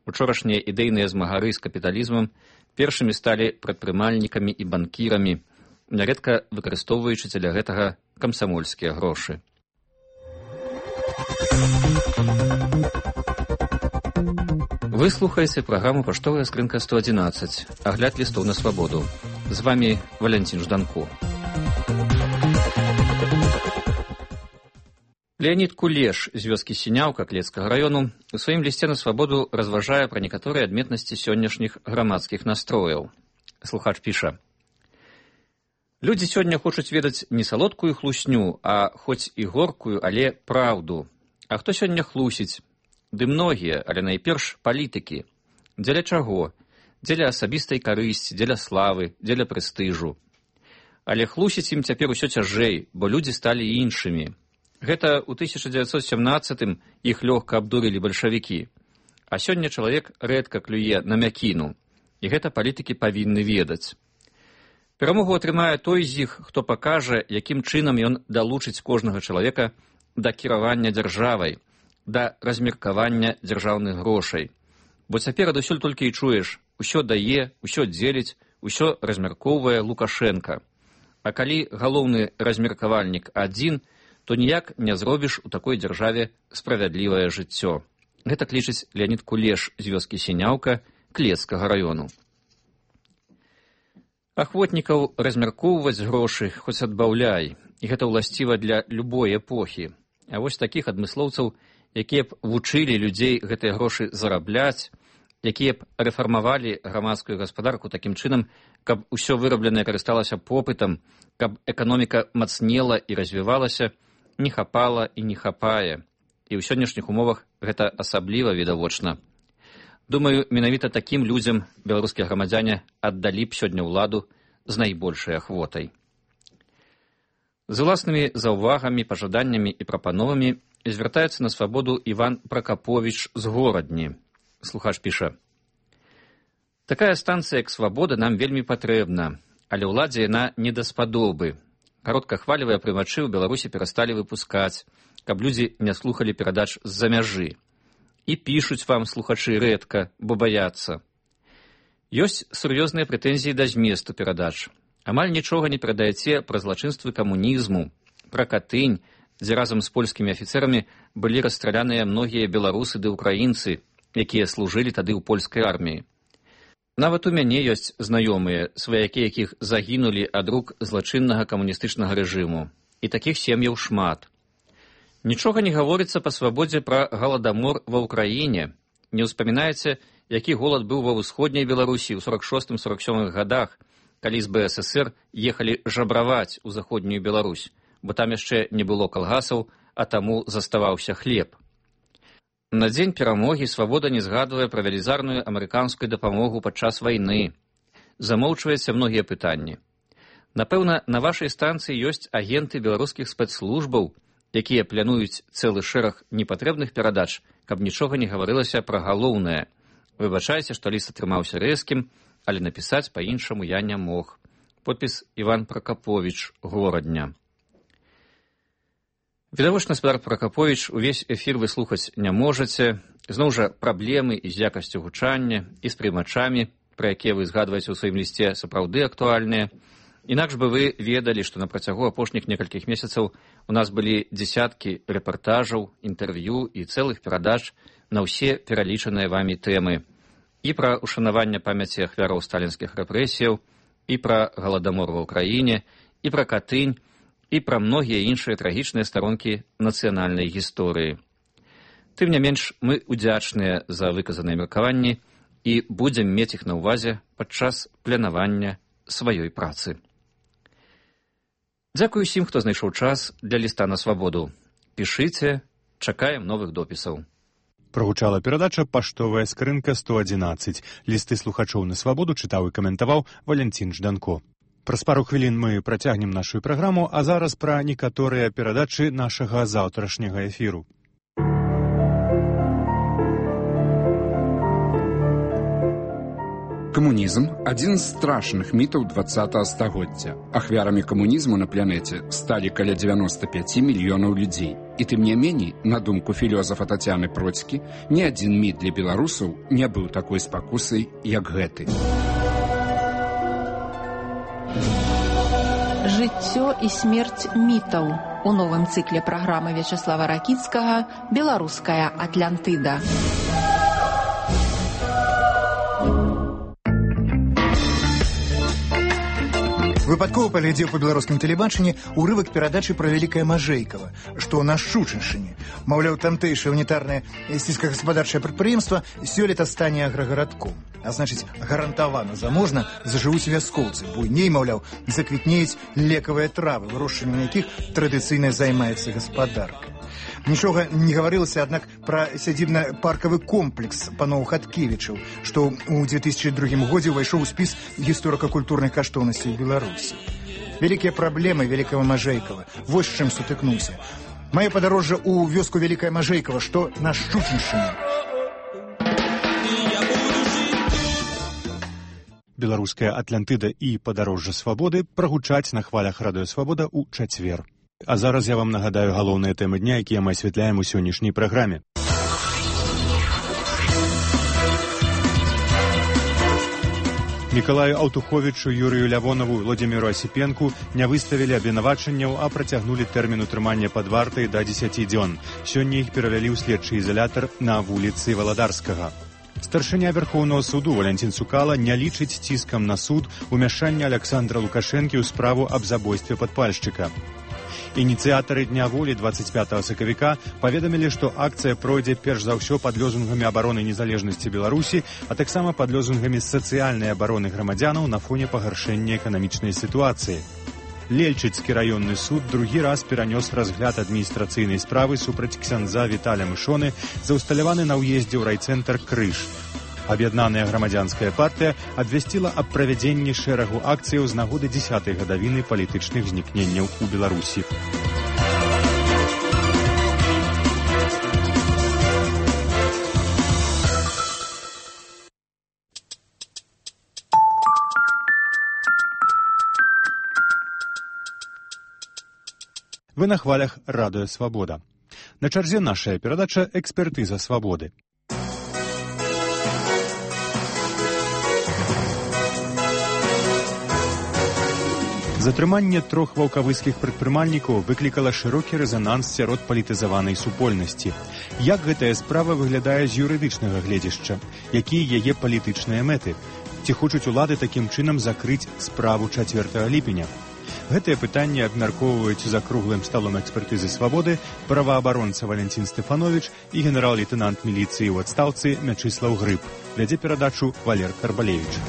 Учорашнія ідэйныя змагары з капіталізмам першымі сталі прадпрымальнікамі і банкірамі, нярэдка выкарыстоўваючы дзеля гэтага камсамольскія грошы. Вы слухаеце праграму «Паштовая скрынка сто адзінаццаць», агляд лістоў на свабоду. З вами Валянцін Жданко. Леонид Кулеш з вёскі Сіняўка Клецкага раёну у сваім лісце на свабоду разважае пра некаторыя адметнасці сённяшніх грамадскіх настрояў. Слухач піша: «Людзі сёння хочуць ведаць не салодкую хлусню, а хоць і горкую, але праўду. А хто сёння хлусіць? Ды многія, але найперш палітыкі. Дзеля чаго? Дзеля асабістай карысці, дзеля славы, дзеля прэстыжу. Але хлусіць ім цяпер усё цяжэй, бо людзі сталі іншымі. Гэта ў тысяча дзевяцьсот сямнаццатым іх лёгка абдурылі бальшавікі. А сёння чалавек рэдка клюе на мякіну. І гэта палітыкі павінны ведаць. Перамогу атрымае той з іх, хто пакажа, якім чынам ён далучыць кожнага чалавека да кіравання дзяржавай, да размеркавання дзяржаўных грошай. Бо цяпер адусюль толькі і чуеш: усё дае, усё дзеліць, усё размяркоўвае Лукашенка. А калі галоўны размеркавальнік адзін, то ніяк не зробіш у такой дзяржаве справядлівае жыццё. Гэта лічыць Леонид Кулеш з вёскі Сіняўка Клецкага раёну. Ахвотнікаў размяркоўваць грошы хоць адбаўляй, і гэта ўласціва для любой эпохі. А вось такіх адмыслоўцаў, якія б вучылі людзей гэтыя грошы зарабляць, якія б рэфармавалі грамадскую гаспадарку такім чынам, каб усё вырабленае карысталася попытам, каб эканоміка мацнела і развівалася, не хапала і не хапае. І ў сённяшніх умовах гэта асабліва відавочна. Думаю, менавіта такім людзям беларускія грамадзяне аддалі б сёння ўладу з найбольшай ахвотай. З уласнымі заўвагамі, пажаданнямі і прапановамі звяртаецца на свабоду Іван Пракаповіч з Горадні. Слухач піша: «Такая станцыя, як свабода, нам вельмі патрэбна, але ўладзе яна не даспадобы. Кароткахвалевыя прымачы ў Беларусі перасталі выпускаць, каб людзі не слухалі перадач з-за мяжы. І пішуць вам слухачы рэдка, бо баяцца. Ёсць сур'ёзныя прэтэнзіі да зместу перадач. Амаль нічога не перадаяце пра злачынствы камунізму, пра Катынь, дзе разам з польскімі афіцэрамі былі расстраляныя многія беларусы ды ўкраінцы, якія служылі тады ў польскай арміі. Нават у мяне ёсць знаёмыя, сваякі якіх загінулі ад рук злачыннага камуністычнага рэжыму. І такіх сем'яў шмат. Нічога не гаворыцца па свабодзе пра галадамор ва ўкраіне. Не ўспамінаеце, які голад быў ва ўсходняй Беларусі ў сорок шостым сорок сёмых гадах, калі з бэ эс эс эр ехалі жабраваць у заходнюю Беларусь, бо там яшчэ не было калгасаў, а таму заставаўся хлеб. На дзень перамогі свабода не згадвае пра велізарную амерыканскую дапамогу падчас вайны. Замоўчваецца многія пытанні. Напэўна, на вашай станцыі ёсць агенты беларускіх спецслужбаў, якія плануюць цэлы шэраг непатрэбных перадач, каб нічога не гаварылася пра галоўнае. Выбачайце, што ліст атрымаўся рэзкім, але напісаць па-іншаму я не мог. Подпіс Іван Пракаповіч, Горадня. Відавочна, гаспадар Пракаповіч, увесь эфір вы слухаць не можаце. Зноў жа, праблемы і з якасцю гучання, і з прымачамі, пра якія вы згадваеце ў сваім лісце, сапраўды актуальныя. Інакш бы вы ведалі, што на працягу апошніх некалькіх месяцаў у нас былі дзесяткі рэпартажаў, інтэрв'ю і цэлых перадач на ўсе пералічаныя вамі тэмы. І пра ушанаванне памяці ахвяраў сталінскіх рэпрэсіяў, і пра галадамор ва ўкраіне, і пра Катынь, і пра многія іншыя трагічныя старонкі нацыянальнай гісторыі. Тым не менш, мы удзячныя за выказаныя меркаванні і будзем мець іх на ўвазе падчас планавання сваёй працы. Дзякую усім, хто знайшоў час для ліста на свабоду. Пішыце, чакаем новых допісаў. Прагучала перадача «Паштовая скрынка сто адзінаццаць». Лісты слухачоў на свабоду чытаў і каментаваў Валянцін Жданко. Праз пару хвілін мы працягнем нашу праграму, а зараз пра некаторыя перадачы нашага заўтрашняга эфіру. Камунізм – адзін з страшных мітаў дваццатага стагоддзя. Ахвярамі камунізму на планеце сталі каля дзевяноста пяць мільёнаў людзей. І тым не меней, на думку філёзафа Тацяны Процькі, ні адзін міт для беларусаў не быў такой спакусай, як гэты. Жыццё і смерць мітаў. У новым цыкле праграмы Вячаслава Ракіцкага «Беларуская Атлантыда». Выпадкова паглядзеў па беларускім тэлебачанні урывак перадачы пра вялікае Мажэйкава, што на Шчучыншчыне. Маўляў, тамтэйшае унітарнае сельскагаспадарчае прадпрыемства сёлета стане аграгарадком. А значыць, гарантавана заможна зажывуць вяскоўцы. Буйней, маўляў, заквітнеюць лекавыя травы, вырошчваннем якіх традыцыйна займаецца гаспадарка. Нічога не гаварылася, аднак, пра сядзібна-паркавы комплекс паноў Хаткевічаў, што ў дзве тысячы другім годзе ўвайшоў у спіс гісторыка-культурных каштоўнасцей Беларусі. Вялікія праблемы вялікага Мажэйкава. Вось з чым сутыкнуўся. Маё падарожжа ў вёску Вялікае Мажэйкава, што на Шчучыншчыне. Беларуская Атлантыда і падарожжа свабоды прагучаць на хвалях радыё Свабода ў чацвер. А зараз я вам нагадаю галоўныя тэмы дня, якія мы асвятляем у сённяшняй праграме. Мікалаю Аўтуховічу, Юрыю Лявонову, Владзіміру Асіпенку не выставілі абвінавачанняў, а працягнулі тэрмін утрымання пад вартай да дзесяці дзён. Сёння іх перавялі ў следчы ізалятар на вуліцы Валадарскага. Старшыня Верхоўнага суду Валянцін Цукала не лічыць ціскам на суд умяшання Александра Лукашэнкі ў справу аб забойстве падпальшчыка. Ініцыятары Дня волі дваццаць пятага сакавіка паведамілі, што акцыя пройдзе перш за ўсё пад лозунгамі абароны незалежнасці Беларусі, а таксама пад лозунгамі сацыяльнай абароны грамадзянаў на фоне пагаршэння эканамічнай сітуацыі. Лельчыцкі раённы суд другі раз перанёс разгляд адміністрацыйнай справы супраць ксяндза Віталя Мышоны за ўсталяваны на ўездзе ў райцэнтр Крыж. Аб'яднаная грамадзянская партыя абвясціла аб правядзенні шэрагу акцыяў з нагоды дзесятай гадавіны палітычных знікненняў у Беларусі. Вы на хвалях радыё Свабода. На чарзе нашая перадача «Экспертыза свабоды». Затрыманне трох ваўкавыскіх прадпрымальнікаў выклікала шырокі рэзананс сярод палітызаванай супольнасці. Як гэтая справа выглядае з юрыдычнага гледзяшча? Якія яе палітычныя мэты? Ці хочуць улады такім чынам закрыць справу чацвёртага ліпеня? Гэтыя пытанні абмяркоўваюць за круглым сталом экспертызы свабоды праваабаронца Валянцін Стэфановіч і генерал-лейтэнант міліцыі ў адстаўцы Мячыслаў Грыб. Вядзе перадачу Валер Карбалевіч.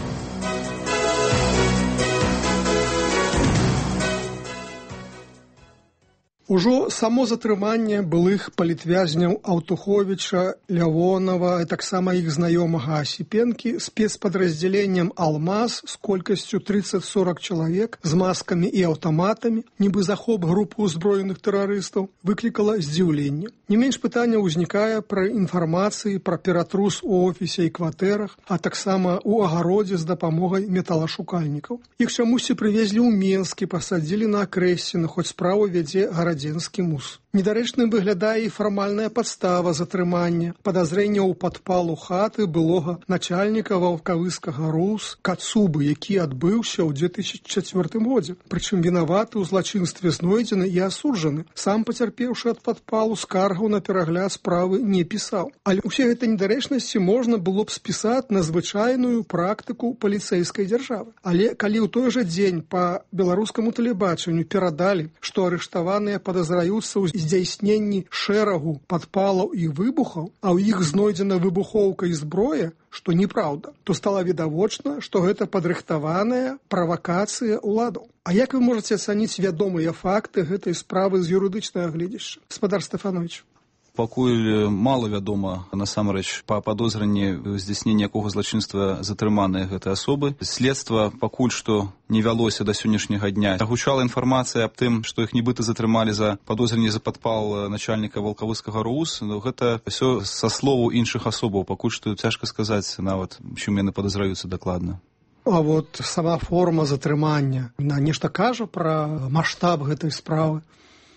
Ужо само затрыманне былых палітвязняў Аўтуховіча, Лявонова, а таксама іх знаёмага Асіпенкі спецпадраздзяленнем «Алмаз» з колькасцю трыццаць-сорак чалавек з маскамі і аўтаматамі, нібы захоп групы ўзброеных тэрарыстаў, выклікала здзіўленне. Не менш пытання ўзнікае пра інфармацыі пра ператрус у офісе і кватэрах, а таксама ў агародзе з дапамогай металашукальнікаў. Іх чамусьці прывезлі ў Менск і пасадзілі на Акрэсціна, хоць справу вядзе гарадзенскі мус. Недарэчным выглядае і фармальная падстава затрымання, падазрэння ў падпалу хаты былога начальніка ваўкавыскага РУС Кацубы, які адбыўся ў дзве тысячы чацвёртым годзе. Прычым вінаваты ў злачынстве знойдзены і асуджаны. Сам пацярпеўшы ад падпалу скаргаў на перагляд справы не пісаў. Але ўсе гэтыя недарэчнасці можна было б спісаць на звычайную практыку паліцэйскай дзяржавы. Але калі ў той жа дзень па беларускаму тэлебачанню перадалі, што арыштаваныя падазраюцца ў здзяйсненні шэрагу падпалаў і выбухаў, а ў іх знойдзена выбухоўка і зброя, што неправда, то стала відавочна, што гэта падрыхтаваная правакацыя ўладаў. А як вы можаце ацаніць вядомыя факты гэтай справы з юрыдычнага гледзяшча? Гаспадар Стэфановіч. Пакуль мала вядома насамрэч па падозранні здзяйснення якога злачынства затрыманыя гэтыя асобы. Следства пакуль што не вялося да сённяшняга дня. Агучала інфармацыя аб тым, што іх нібыта затрымалі за падозранне за падпал начальніка валкавыскага РУС, но гэта ўсё са словаў іншых асобаў. Пакуль што цяжка сказаць нават, чым яны падазраюцца дакладна. А вот сама форма затрымання, на нешта кажа пра маштаб гэтай справы?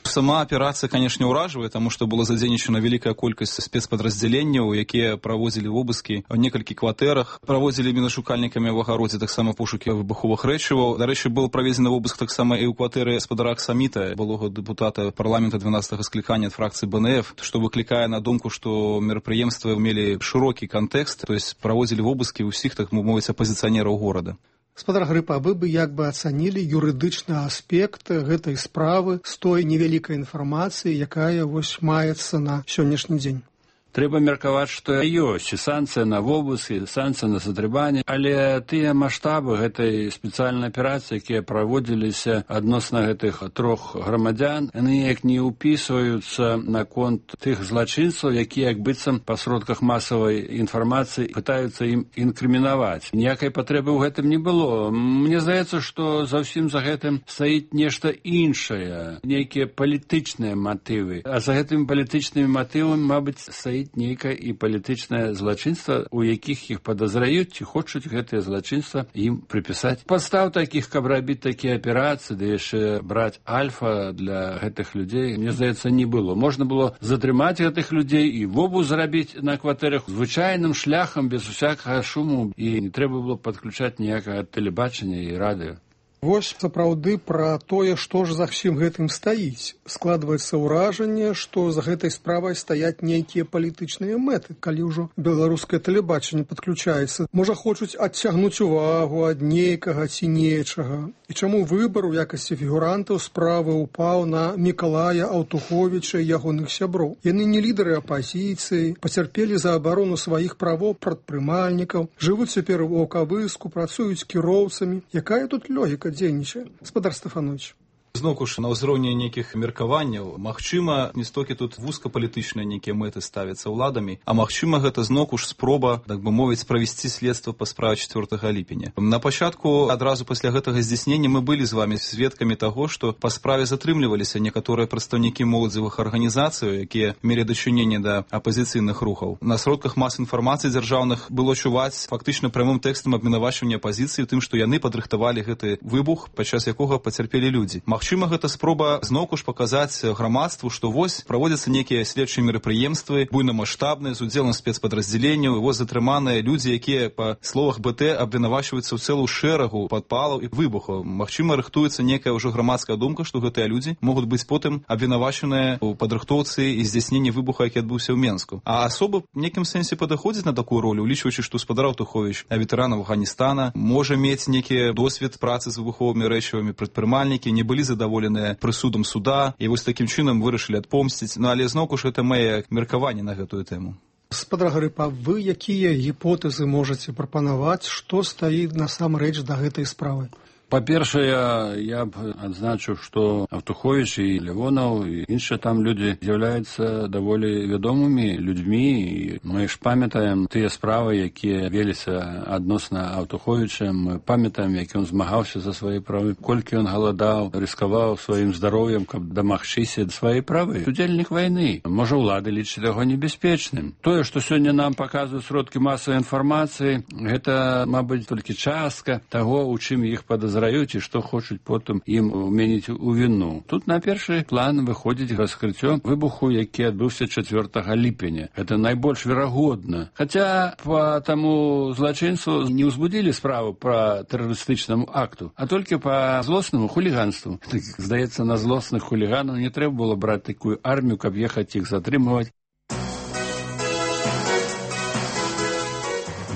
Сама аперацыя, канешне, ўражвае, таму што была задзейнічана вялікая колькасць спецпадраздзяленняў, якія праводзілі вобыскі ў некалькі кватэрах, праводзілі мінашукальнікамі ў агародзе таксама пошукі выбуховых рэчываў. Дарэчы, быў праведзены вобыск таксама і ў кватэры гаспадара Аксаміта, былога дэпутата парламента дванаццатага склікання ад фракцыі БНФ, што выклікае на думку, што мерапрыемствы мелі шырокі кантэкст, то есть праводзілі вобыскі ўсіх, так мовіць, апазіцыянераў горада. Гаспадар Грыпа, вы бы як бы ацанілі юрыдычны аспект гэтай справы з той невялікай інфармацыі, якая вось маецца на сённяшні дзень? Трэба меркаваць, што ёсць і санкцыя на вобыск, і санкцыя на затрыманне, але тыя маштабы гэтай спецыяльнай аперацыі, якія праводзіліся адносна гэтых трох грамадзян, яны неяк не ўпісваюцца наконт тых злачынцаў, якія як быццам па сродках масавай інфармацыі пытаюцца ім інкрымінаваць. Ніякай патрэбы ў гэтым не было. Мне здаецца, што за ўсім за гэтым стаіць нешта іншае, нейкія палітычныя матывы. А за гэтымі палітычнымі матывамі, мабыць, стаіць нейкае і палітычнае злачынства, у якіх іх падазраюць ці хочуць гэтае злачынства ім прыпісаць. Падстаў такіх, каб рабіць такія аперацыі, ды яшчэ браць альфа для гэтых людзей, мне здаецца, не было. Можна было затрымаць гэтых людзей і вобыск зрабіць на кватэрах звычайным шляхам, без усякага шуму, і не трэба было падключаць ніякага тэлебачання і радыё. Вось сапраўды пра тое, што ж за ўсім гэтым стаіць. Складваецца ўражанне, што за гэтай справай стаяць нейкія палітычныя мэты, калі ўжо беларускае тэлебачанне падключаецца. Можа, хочуць адцягнуць увагу ад нейкага ці нечага. І чаму выбар у якасці фігурантаў справы ўпаў на Мікалая Аўтуховіча і ягоных сяброў? Яны не лідары апазіцыі, пацярпелі за абарону сваіх правоў прадпрымальнікаў, жывуць цяпер у Ваўкавыску, працуюць кіроўцамі. Якая тут логіка дзейнічае? Гаспадар Стефанович. Зноўку ж на ўзроўні нейкіх меркаванняў, магчыма, не столькі тут вузкапалітычныя нейкія мэты ставяцца ўладамі, а магчыма, гэта зноўку ж спроба, так бы мовіць, правесці следства па справе чацвёртага ліпеня. На пачатку, адразу пасля гэтага здзяйснення, мы былі з вамі сведкамі таго, што па справе затрымліваліся некаторыя прадстаўнікі моладзевых арганізацый, якія мелі дачыненне да апазіцыйных рухаў. На сродках мас інфармацыі дзяржаўных было чуваць фактычна прамым тэкстам абвінавачвання апазіцыі тым, што яны падрыхтавалі гэты выбух, падчас якога пацярпелі людзі. Магчыма, гэта спроба зноўку ж паказаць грамадству, што вось праводзяцца нейкія следчыя мерапрыемствы, буйнамаштабныя, з удзелам спецпадраздзяленняў, і вось затрыманыя людзі, якія, па словах БТ, абвінавачваюцца ў цэлую шэрагу падпалаў і выбухаў. Магчыма, рыхтуецца нейкая ўжо грамадская думка, што гэтыя людзі могуць быць потым абвінавачаныя ў падрыхтоўцы і здзяйсненні выбуха, які адбыўся ў Менску. А асоба в нейкім сэнсе падыходзіць на такую ролю, улічваючы, што гаспадар Аўтуховіч, ветэран Афганістана, можа мець нейкі досвед працы з выбуховымі рэчывамі, прадпрымальнікі не былі задаволеныя прысудам суда і вось такім чынам вырашылі адпомсціць. Ну, але зноўку ж гэта мае меркаванне на гэтую тэму. Гаспадар Грыпа, вы якія гіпотэзы можаце прапанаваць, што стаіць насамрэч да гэтай справы? Па-першае, я б адзначыў, што Аўтуховіч і Лявонаў і іншыя там людзі з'яўляюцца даволі вядомымі людзьмі, і мы ж памятаем тыя справы, якія веліся адносна Аўтуховіча. Мы памятаем, як ён змагаўся за свае правы, колькі ён галадаў, рыскаваў сваім здароўем, каб дамагчыся свае правы. Удзельнік вайны. Можа, ўлады лічаць яго небяспечным. Тое, што сёння нам паказваюць сродкі масавай інфармацыі, гэта, мабыць, толькі частка таго, у чым іх падазраюць, і што хочуць потым ім уменіць у віну. Тут на першы план выходзіць раскрыццё выбуху, які адбыўся чацвёртага ліпеня. Гэта найбольш верагодна. Хаця па таму злачынцу не ўзбудзілі справу па тэрарыстычнаму акту, а толькі па злоснаму хуліганству. Здаецца, на злосных хуліганаў не трэба было браць такую армію, каб ехаць іх затрымаваць.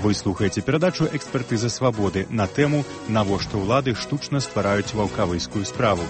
Вы слухаеце перадачу «Экспертыза свабоды» на тэму «Навошта ўлады штучна ствараюць ваўкавыскую справу».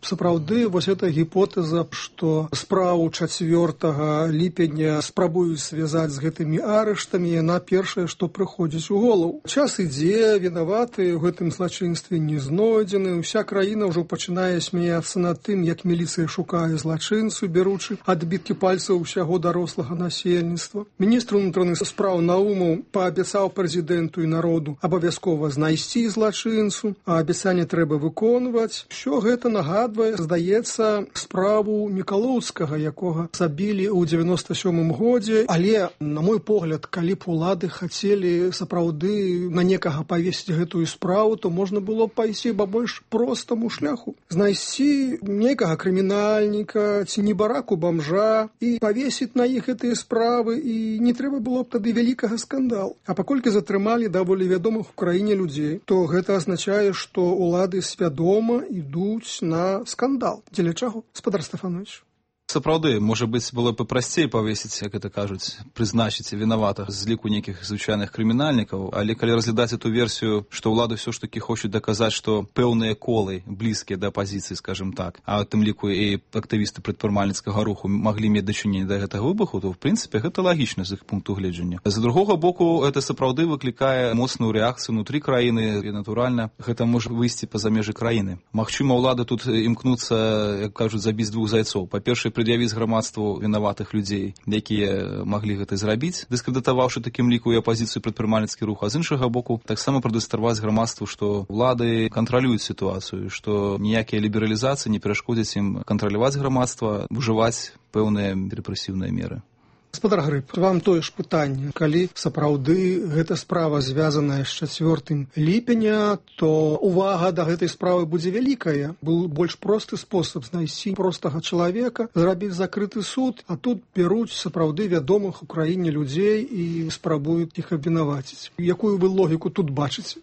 Сапраўды, вось эта гіпотэза, што справу чацвёртага ліпеня спрабуюць звязаць з гэтымі арыштамі, яна першая, што прыходзіць у голову. Час ідзе, вінаватыя ў гэтым злачынстве не знойдзены, уся краіна ўжо пачынае смяяцца над тым, як міліцыя шукае злачынцу, бяручы адбіткі пальцаў усяго дарослага насельніцтва. Міністр унутраных спраў Наумаў паабяцаў прэзідэнту і народу абавязкова знайсці злачынцу, а абяцанне трэба выконваць. Усё гэта нагадвае, здаецца, справу Мікалоўскага, якога забілі ў дзевяноста сёмым годзе, але, на мой погляд, калі б улады хацелі сапраўды на некага павесіць гэтую справу, то можна было б пайсці па больш простаму шляху. Знайсці некага крымінальніка ці небараку бомжа і павесіць на іх гэтыя справы, і не трэба было б тады вялікага скандалу. А паколькі затрымалі даволі вядомых у краіне людзей, то гэта азначае, што улады свядома ідуць на скандал. Дзеля чаго, спадар Стефанович? Сапраўды, можа быць, было б прасцей павесіць, як это кажуць, прызначыць вінаватых з ліку нейкіх звычайных крымінальнікаў, але калі разглядаць эту версію, што ўлады ўсё ж такі хочуць даказаць, што пэўныя колы блізкія да апазіцыі, скажем так, а ў тым ліку і актывісты прадпрымальніцкага руху маглі мець дачыненне да гэтага выбуху, то, в прынцыпе, гэта лагічна з іх пункту гледжання. З другога боку, гэта сапраўды выклікае моцную рэакцыю ўнутры краіны, і, натуральна, гэта можа выйсці па-за межы краіны. Магчыма, ўлады тут імкнуцца, як кажуць, забіць двух зайцоў. Па-першае, пред'явіць грамадству вінаватых людзей, якія маглі гэта зрабіць, дыскрэдытаваўшы такім ліку і апазіцыю прадпрымальніцкі рух, а з іншага боку таксама прадэманстраваць грамадству, што ўлады кантралююць сітуацыю, што ніякія лібералізацыі не перашкодзяць ім кантраляваць грамадства, ужываць пэўныя рэпрэсіўныя меры. Гаспадар Грыб, вам тое ж пытанне. Калі сапраўды гэта справа звязаная з чацвёртым ліпеня, то увага да гэтай справы будзе вялікая. Быў больш просты спосаб знайсці простага чалавека, зрабіць закрыты суд, а тут бяруць сапраўды вядомых у краіне людзей і спрабуюць іх абвінаваціць. Якую вы логіку тут бачыце?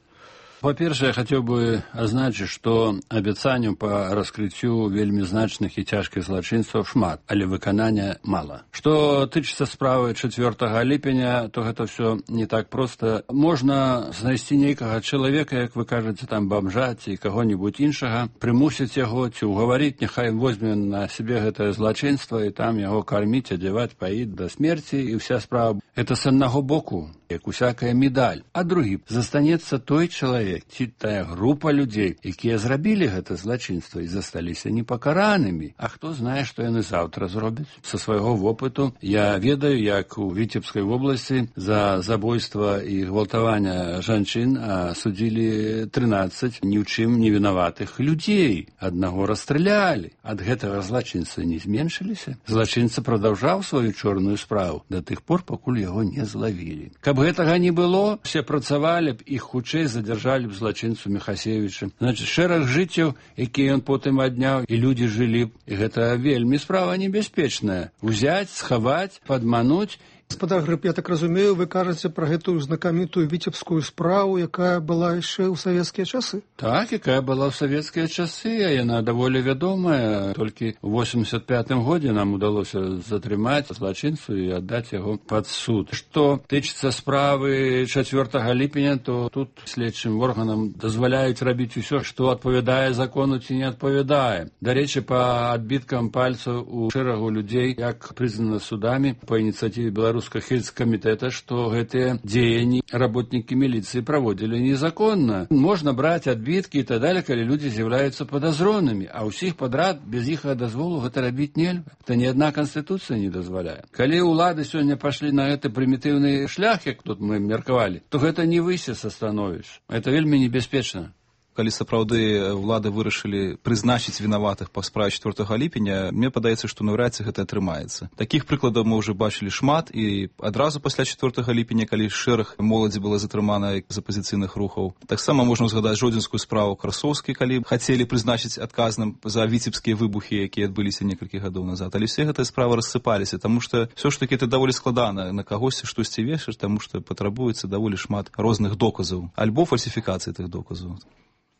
По-першае, я хацеў бы азначыць, што абяцанняў па раскрыццю вельмі значных і цяжкіх злачынстваў шмат, але выканання мала. Што тычыцца справы чацвёртага ліпеня, то гэта ўсё не так проста. Можна знайсці нейкага чалавека, як вы кажаце, там бомжа ці каго-небудзь іншага, прымусіць яго ці ўгаварыць, няхай возьме на сябе гэтае злачынства і там яго карміць, адзяваць, паіць да смерці, і ўся справа. Гэта з аднаго боку, як усякая медаль. А другі, застанецца той чалавек, ці тая група людзей, якія зрабілі гэта злачынства і засталіся непакаранымі. А хто знае, што яны заўтра зробяць? Са свайго вопыту я ведаю, як у Віцебскай вобласці за забойства і гвалтавання жанчын судзілі трынаццаць ні ў чым не вінаватых людзей. Аднаго расстралялі. Ад гэтага злачынства не зменшыліся. Злачынца прадаўжаў сваю чорную справу да тых пор, пакуль яго не злавілі. Каб гэтага не было, все працавалі б, іх хутчэй задзяржалі б злачынцу Міхасевіча. Значыць, шэраг жыццяў, якія ён потым адняў, і людзі жылі б. І гэта вельмі справа небяспечная. Узяць, схаваць, падмануць. Гаспадар Грыб, я так разумею, вы кажаце пра гэтую знакамітую віцебскую справу, якая была яшчэ ў савецкія часы? Так, якая была ў савецкія часы, а яна даволі вядомая. Толькі ў восемьдесят пятым годзе нам удалося затрымаць злачынцу і аддаць яго пад суд. Што тычыцца справы чацвёртага ліпеня, то тут следчым органам дазваляюць рабіць усё, што адпавядае закону ці не адпавядае. Дарэчы, па адбіткам пальцаў у шэрагу людзей, як прызнана судамі па ініцыятыве Беларусі Хельскамітэта, што гэтыя дзеянні работнікі міліцыі праводзілі незаконна. Можна браць адбіткі і так далее, калі людзі з'яўляюцца падазронымі, а ўсіх падрад без іх дазволу гэта рабіць нельга. Гэта ні адна канстытуцыя не дазваляе. Калі ўлады сёння пашлі на гэты прымітыўны шлях, як тут мы меркавалі, то гэта не выйсце са становішча. Гэта вельмі небяспечна. Калі сапраўды ўлады вырашылі прызначыць вінаватых па справе чацвёртага ліпеня, мне падаецца, што наўрад ці гэта атрымаецца. Такіх прыкладаў мы ўжо бачылі шмат, і адразу пасля чацвёртага ліпеня, калі шэраг моладзі была затрымана з апазіцыйных рухаў. Таксама можна ўзгадаць жодзінскую справу Красоўскай, калі хацелі прызначыць адказным за віцебскія выбухі, якія адбыліся некалькі гадоў назад. Але все гэтыя справы рассыпаліся, таму што ўсё ж такі это даволі складана на кагосьці штосьці вешаць, таму што патрабуецца даволі шмат розных доказаў, альбо фальсіфікацыі тых доказаў.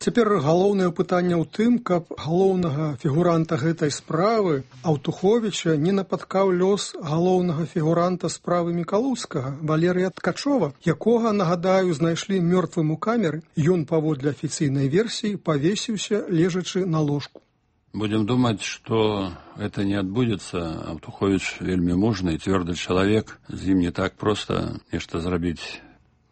Цяпер галоўнае пытанне ў тым, каб галоўнага фігуранта гэтай справы, Аўтуховіча, не напаткаў лёс галоўнага фігуранта справы Мікалоўскага, Валерыя Ткачова, якога, нагадаю, знайшлі мёртвым у камеры. Ён, паводле афіцыйнай версіі, павесіўся, лежачы на ложку. Будем думать, что это не отбудется. Аўтуховіч вельмі мужны і цвёрды чалавек. З ім не так проста нешта зрабіць.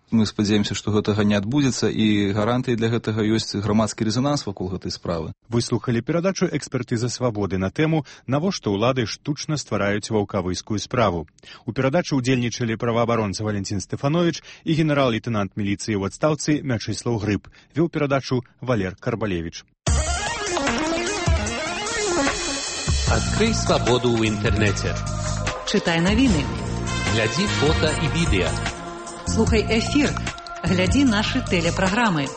Мы спадзяемся, што гэтага не адбудзецца, і гарантыі для гэтага ёсць грамадскі рэзананс вакол гэтай справы. Выслухалі перадачу экспертыза свабоды на тэму «Навошта ўлады штучна ствараюць ваўкавыскую справу». У перадачы ўдзельнічалі праваабаронца Валентин Стефанович і генерал-лейтенант міліцыі ў адстаўцы Мячыслаў Грыб. Вёў перадачу Валер Карбалевич. Открой свободу в интернете. Читай новины. Гляди фото и видео. Слухай эфир. Гляди наши телепрограммы.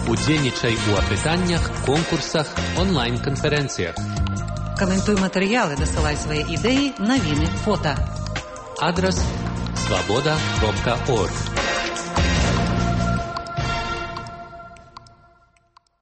Удзельнічай у апытаннях, конкурсах, онлайн-конференциях. Комментуй материалы, досылай свои идеи, новины, фото. Адрес свобода точка орг.